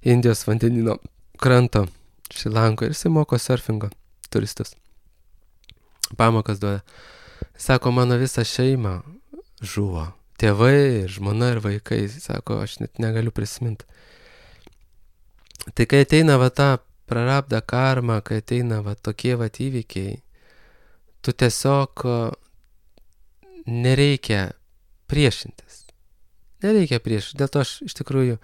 Indijos vandenino kranto Šri Lankoje ir jis moko surfingo turistus. Pamokas duoda. Sako, mano visa šeima žuvo. Tėvai, žmona ir vaikai. Sako, aš net negaliu prisiminti. Tai kai ateina va ta prarabda karma, kai ateina va tokie va įvykiai, tu tiesiog nereikia priešintis. Nereikia priešintis. Dėl to aš iš tikrųjų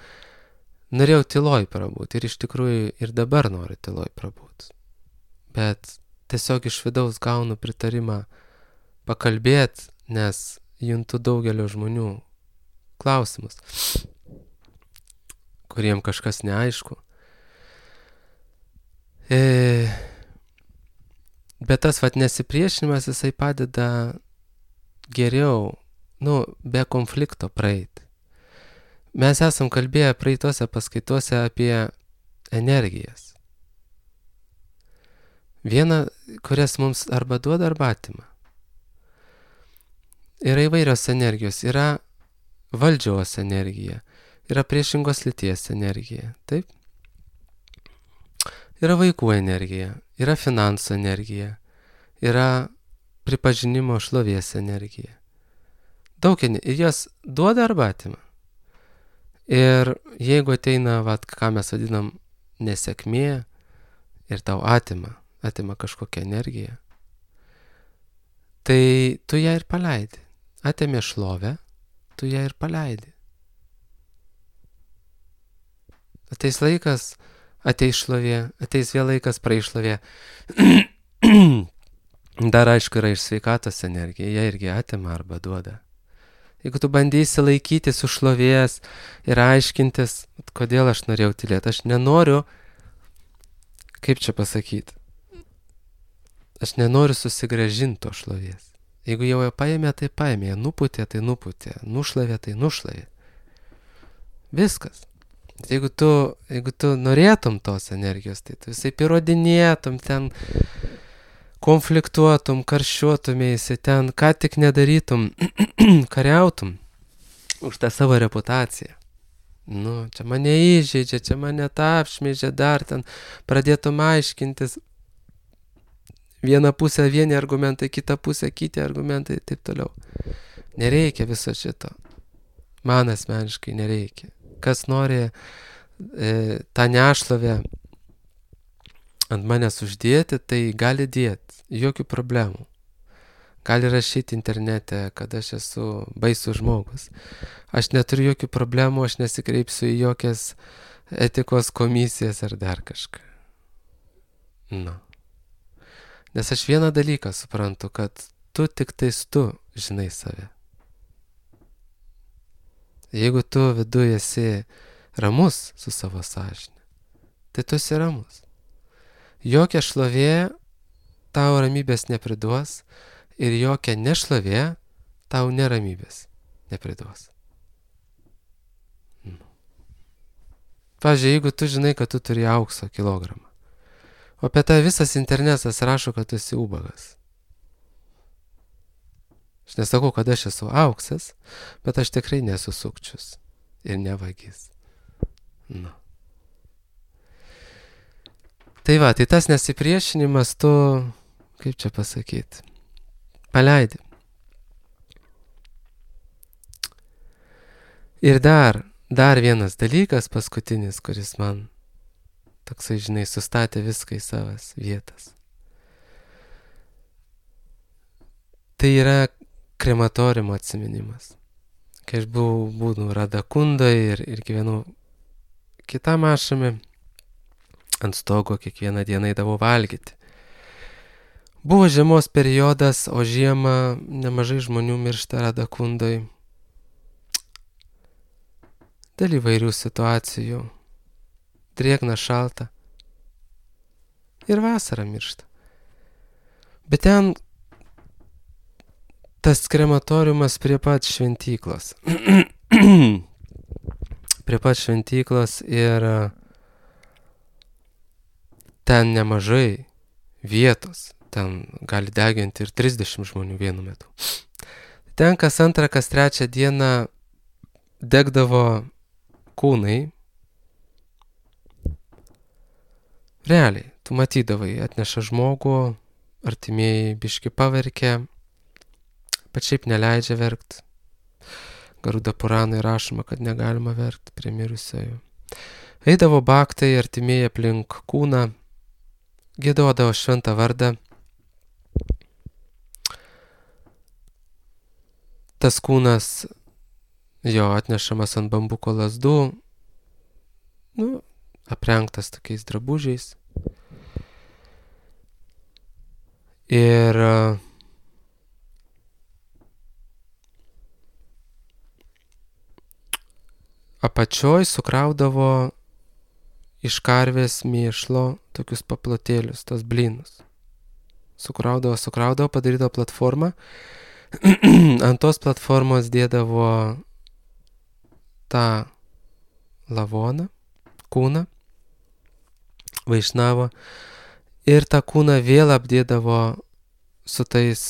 norėjau tyloj prabūti ir iš tikrųjų ir dabar noriu tyloj prabūti. Bet tiesiog iš vidaus gaunu pritarimą pakalbėti, nes juntu daugelio žmonių klausimus, kuriem kažkas neaišku. Bet tas vat nesipriešinimas, jisai padeda geriau, be konflikto praeiti. Mes esam kalbėję praeitose paskaitose apie energijas. Viena, kurias mums arba duoda, arba atima. Yra įvairios energijos. Yra valdžios energija. Yra priešingos lyties energija. Taip? Yra vaikų energija. Yra finansų energija. Yra pripažinimo šlovės energija. Daug energijos. Ir jas duoda arba atima. Ir jeigu ateina, ką mes vadinam nesėkmė, ir tau atima kažkokią energiją, tai tu ją ir paleidi. Atėmė šlovę, tu ją ir paleidi. Ateis laikas, ateis šlovė, ateis vėl laikas, praeis šlovė. Dar aišku yra iš sveikatos energija, ją irgi atima arba duoda. Jeigu tu bandysi laikytis už šlovės ir aiškintis, kodėl aš norėjau tylėti, aš nenoriu, kaip čia pasakyti, aš nenoriu susigrąžinti to šlovės. Jeigu jau paėmė, tai paėmė, nuputė, tai nuputė, nušlavė, tai nušlavė. Viskas. Jeigu tu norėtum tos energijos, tai tu visai įrodinėtum, ten konfliktuotum, karščiuotumėsi, ten ką tik nedarytum, kariautum už tą savo reputaciją. Čia mane įžeidžia, čia mane apšmeižia, dar ten pradėtum aiškintis. Viena pusė vieni argumentai, kita pusė kiti argumentai ir taip toliau. Nereikia viso šito. Man asmeniškai nereikia. Kas nori tą nešlovę ant manęs uždėti, tai gali dėti. Jokių problemų. Gali rašyti internete, kad aš esu baisus žmogus. Aš neturiu jokių problemų, aš nesikreipsiu į jokias etikos komisijas ar dar kažką. Nes aš vieną dalyką suprantu, kad tu tik tais tu žinai save. Jeigu tu viduje esi ramus su savo sąžine, tai tu esi ramus. Jokia šlovė tau ramybės nepriduos ir jokia nešlovė tau neramybės nepriduos. Pavyzdžiui, jeigu tu žinai, kad tu turi aukso kilogramą, o apie tai visas internetas rašo, kad tu esi ubagas. Aš nesakau, kad aš esu auksas, bet aš tikrai nesu sukčius ir nevagis. Tai tai tas nesipriešinimas tu, kaip čia pasakyti, paleidi. Ir dar vienas dalykas paskutinis, kuris man toksai, žinai, sustatė viską į savas vietas. Tai yra krematoriumo atsiminimas. Kai aš buvau Radakundoje ir gyvenau kitam ašrame, ant stogo kiekvieną dieną eidavau valgyti. Buvo žiemos periodas, o žiemą nemažai žmonių miršta Radakundoj dėl įvairių situacijų. Drėgna, šalta. Ir vasarą miršta. Bet ten tas krematoriumas prie pat šventyklos. Prie pat šventyklos ir ten nemažai vietos. Ten gali deginti ir 30 žmonių vienu metu. Ten kas antrą, kas trečią dieną degdavo kūnai. Realiai, tu matydavai, atneša žmogų, artimieji biški paverkia, bet šiaip neleidžia verkt. Garuda Puranai rašoma, kad negalima verkt prie mirusiojų. Eidavo baktai, artimieji aplink kūną, giedodavo šventą vardą. Tas kūnas jo atnešamas ant bambuko lazdų, aprengtas tokiais drabužiais. Ir apačioj sukraudavo iš karvės mėšlo tokius paplotėlius, tos blynus. Sukraudavo, padarydavo platformą. Ant tos platformos dėdavo tą lavoną, kūną, vaišnavo ir tą kūną vėl apdėdavo su tais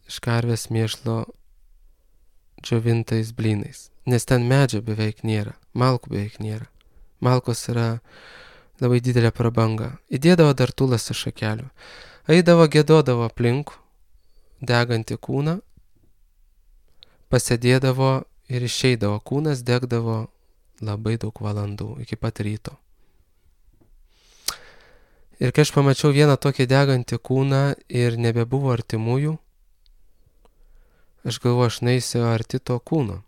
iš karvės mėšlo džiovintais blynais. Nes ten medžio beveik nėra, malkų beveik nėra. Malkos yra labai didelė prabanga. Įdėdavo dar tūlas iš šakelių. Eidavo, giedodavo aplink degantį kūną, pasėdėdavo ir išeidavo. Kūnas degdavo labai daug valandų, iki pat ryto. Ir kai aš pamačiau vieną tokį degantį kūną ir nebebuvo artimųjų, aš galvoju, aš neisiu arti to kūno.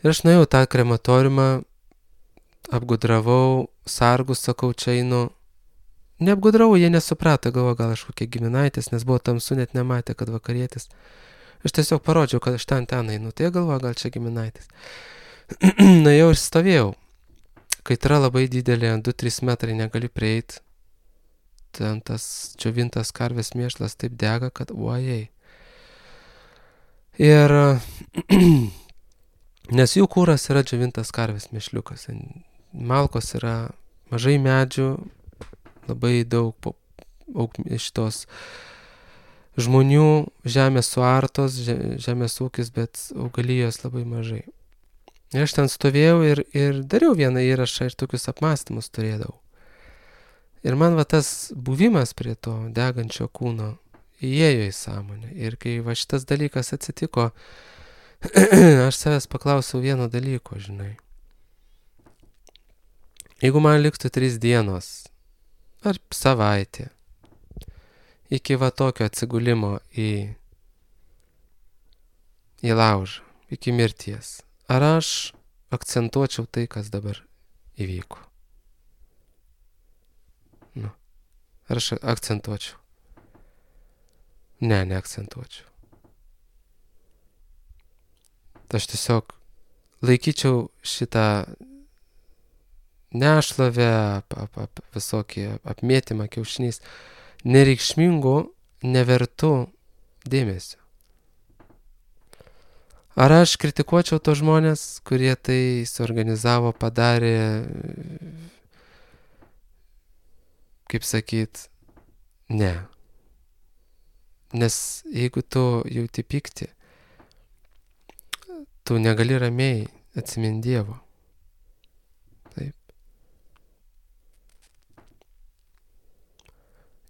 Ir aš nuėjau tą krematoriumą, apgudravau, sargus, sakau, čia einu. Neapgudravau, jie nesuprato, galvoju, gal aš kokie giminaitis, nes buvo tamsu, net nematė, kad vakarietis. Aš tiesiog parodžiau, kad aš ten einu, tai galvoju, gal čia giminaitis. Nuėjau ir stovėjau. Kaitra labai didelė, 2-3 metrai negali prieiti. Ten tas džiovintas karvės mėšlas taip dega, kad uojai. Ir nes jų kūras yra džiovintas karvės mėšliukas. Malkos yra mažai medžių, labai daug šitos žmonių, žemės suartos, žemės ūkis, bet augalijos labai mažai. Ir aš ten stovėjau ir dariau vieną įrašą ir tokius apmąstymus turėdavau. Ir man va tas buvimas prie to degančio kūno įėjo į sąmonę. Ir kai va šitas dalykas atsitiko, aš savęs paklausiau vieno dalyko, žinai. Jeigu man liktų 3 dienos ar savaitė iki va tokio atsigulimo į laužą, iki mirties, ar aš akcentuočiau tai, kas dabar įvyko? Ar aš akcentuočiau? Ne, neakcentuočiau. Aš tiesiog laikyčiau šitą nešlavę, visokį apmėtymą kiaušiniais nereikšmingų, nevertų dėmesio. Ar aš kritikuočiau tos žmonės, kurie tai suorganizavo, padarė, kaip sakyt, ne. Nes jeigu tu jauti pyktį, tu negali ramiai atsimint Dievo. Taip.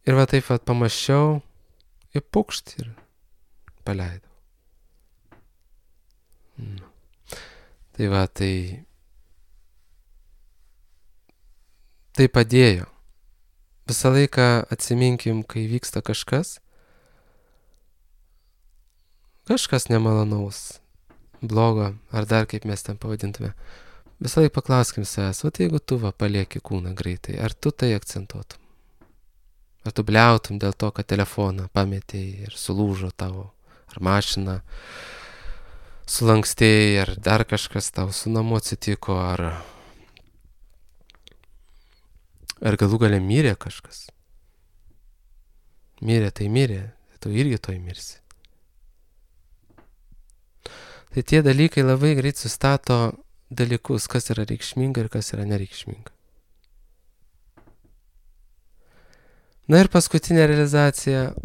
Ir va taip pat pamaščiau ir pukšt ir paleidau. Tai va, tai padėjo. Visą laiką atsiminkim, kai vyksta kažkas nemalonaus, blogo, ar dar kaip mes ten pavadintume. Visą laiką paklauskim savęs, o tai jeigu tu palieki kūną greitai, ar tu tai akcentuotum? Ar tu bliautum dėl to, kad telefoną pametėjai ir sulūžo tavo, ar mašina sulankstėjai, ar dar kažkas tau su namu atsitiko, ar galų gale mirė kažkas. Mirė, tu irgi toj mirsi. Tai tie dalykai labai greit sustato dalykus, kas yra reikšminga ir kas yra nereikšminga. Na ir paskutinė realizacija.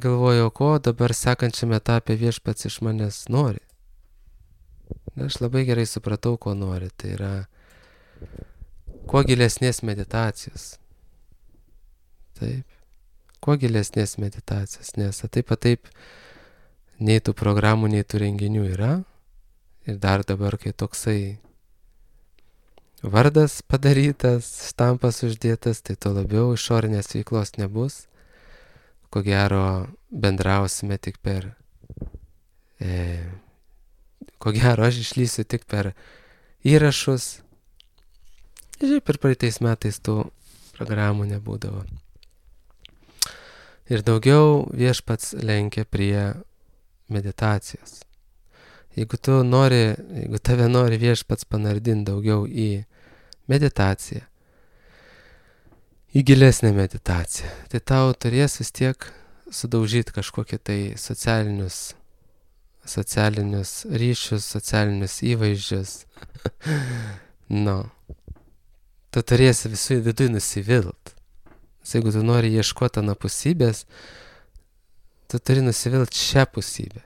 Galvojau, ko dabar sekančiame etape viešpats iš manęs nori. Na, aš labai gerai supratau, ko nori. Tai yra kuo gilesnės meditacijos. Taip. Kuo gilesnės meditacijos, nes taip nei tų programų, nei tų renginių yra. Ir dar dabar, kai toksai vardas padarytas, štampas uždėtas, tai to labiau išorinės veiklos nebus. Ko gero bendrausime tik per... Ko gero aš išlysiu tik per įrašus. Žiūrėk, per praeitais metais tų programų nebūdavo. Ir daugiau viešpats lenkia prie meditacijos. Jeigu tave nori viešpats panardinti daugiau į meditaciją, į gilesnę meditaciją, tai tau turės vis tiek sudaužyti kažkokį tai socialinius ryšius, socialinius įvaizdžius. Tu turėsi visų vidui nusivilt. Jeigu tu nori ieškoti anapusybės, tu turi nusivilt šią pusybę.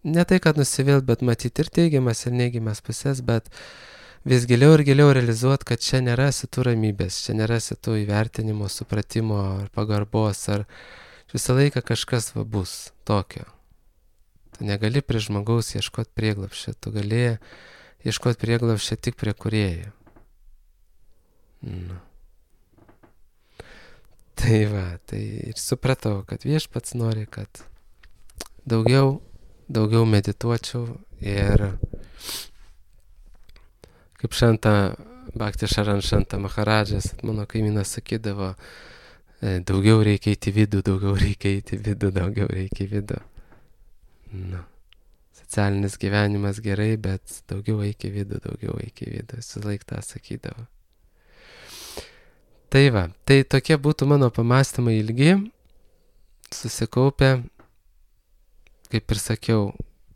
Ne tai, kad nusivilt, bet matyti ir teigiamas, ir neigiamas pusės, bet vis giliau ir giliau realizuoti, kad čia nerasi tų ramybės, čia nerasi tų įvertinimo, supratimo ar pagarbos, ar visą laiką kažkas bus tokio. Tu negali prie žmogaus ieškoti prieglapščio, tu gali ieškoti prieglapščio tik prie kūrėjo. Tai va, tai ir supratau, kad viešpats nori, kad daugiau medituočiau ir kaip Bhakti Šaran Šanta Maharadžas, mano kaimynas sakydavo, daugiau reikia eiti į vidų. Socialinis gyvenimas gerai, bet daugiau eik į vidų. Visą laiką tą sakydavo. Tai va, tai tokie būtų mano pamąstymai ilgi, susikaupę. Kaip ir sakiau,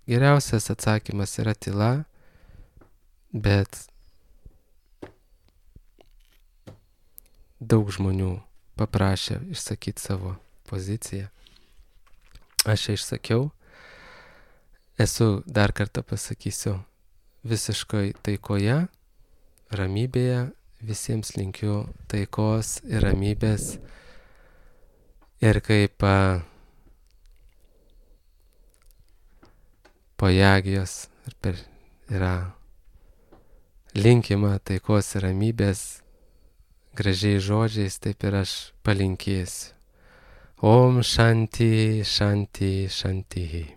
geriausias atsakymas yra tyla, bet daug žmonių paprašė išsakyti savo poziciją. Aš ją išsakiau. Esu, dar kartą pasakysiu, visiškai taikoje, ramybėje. Visiems linkiu taikos ir ramybės. Ir kaip pojagijos yra linkima taikos ir ramybės gražiais žodžiais, taip ir aš palinkėsiu. Om Shanti, Shanti, Shanti.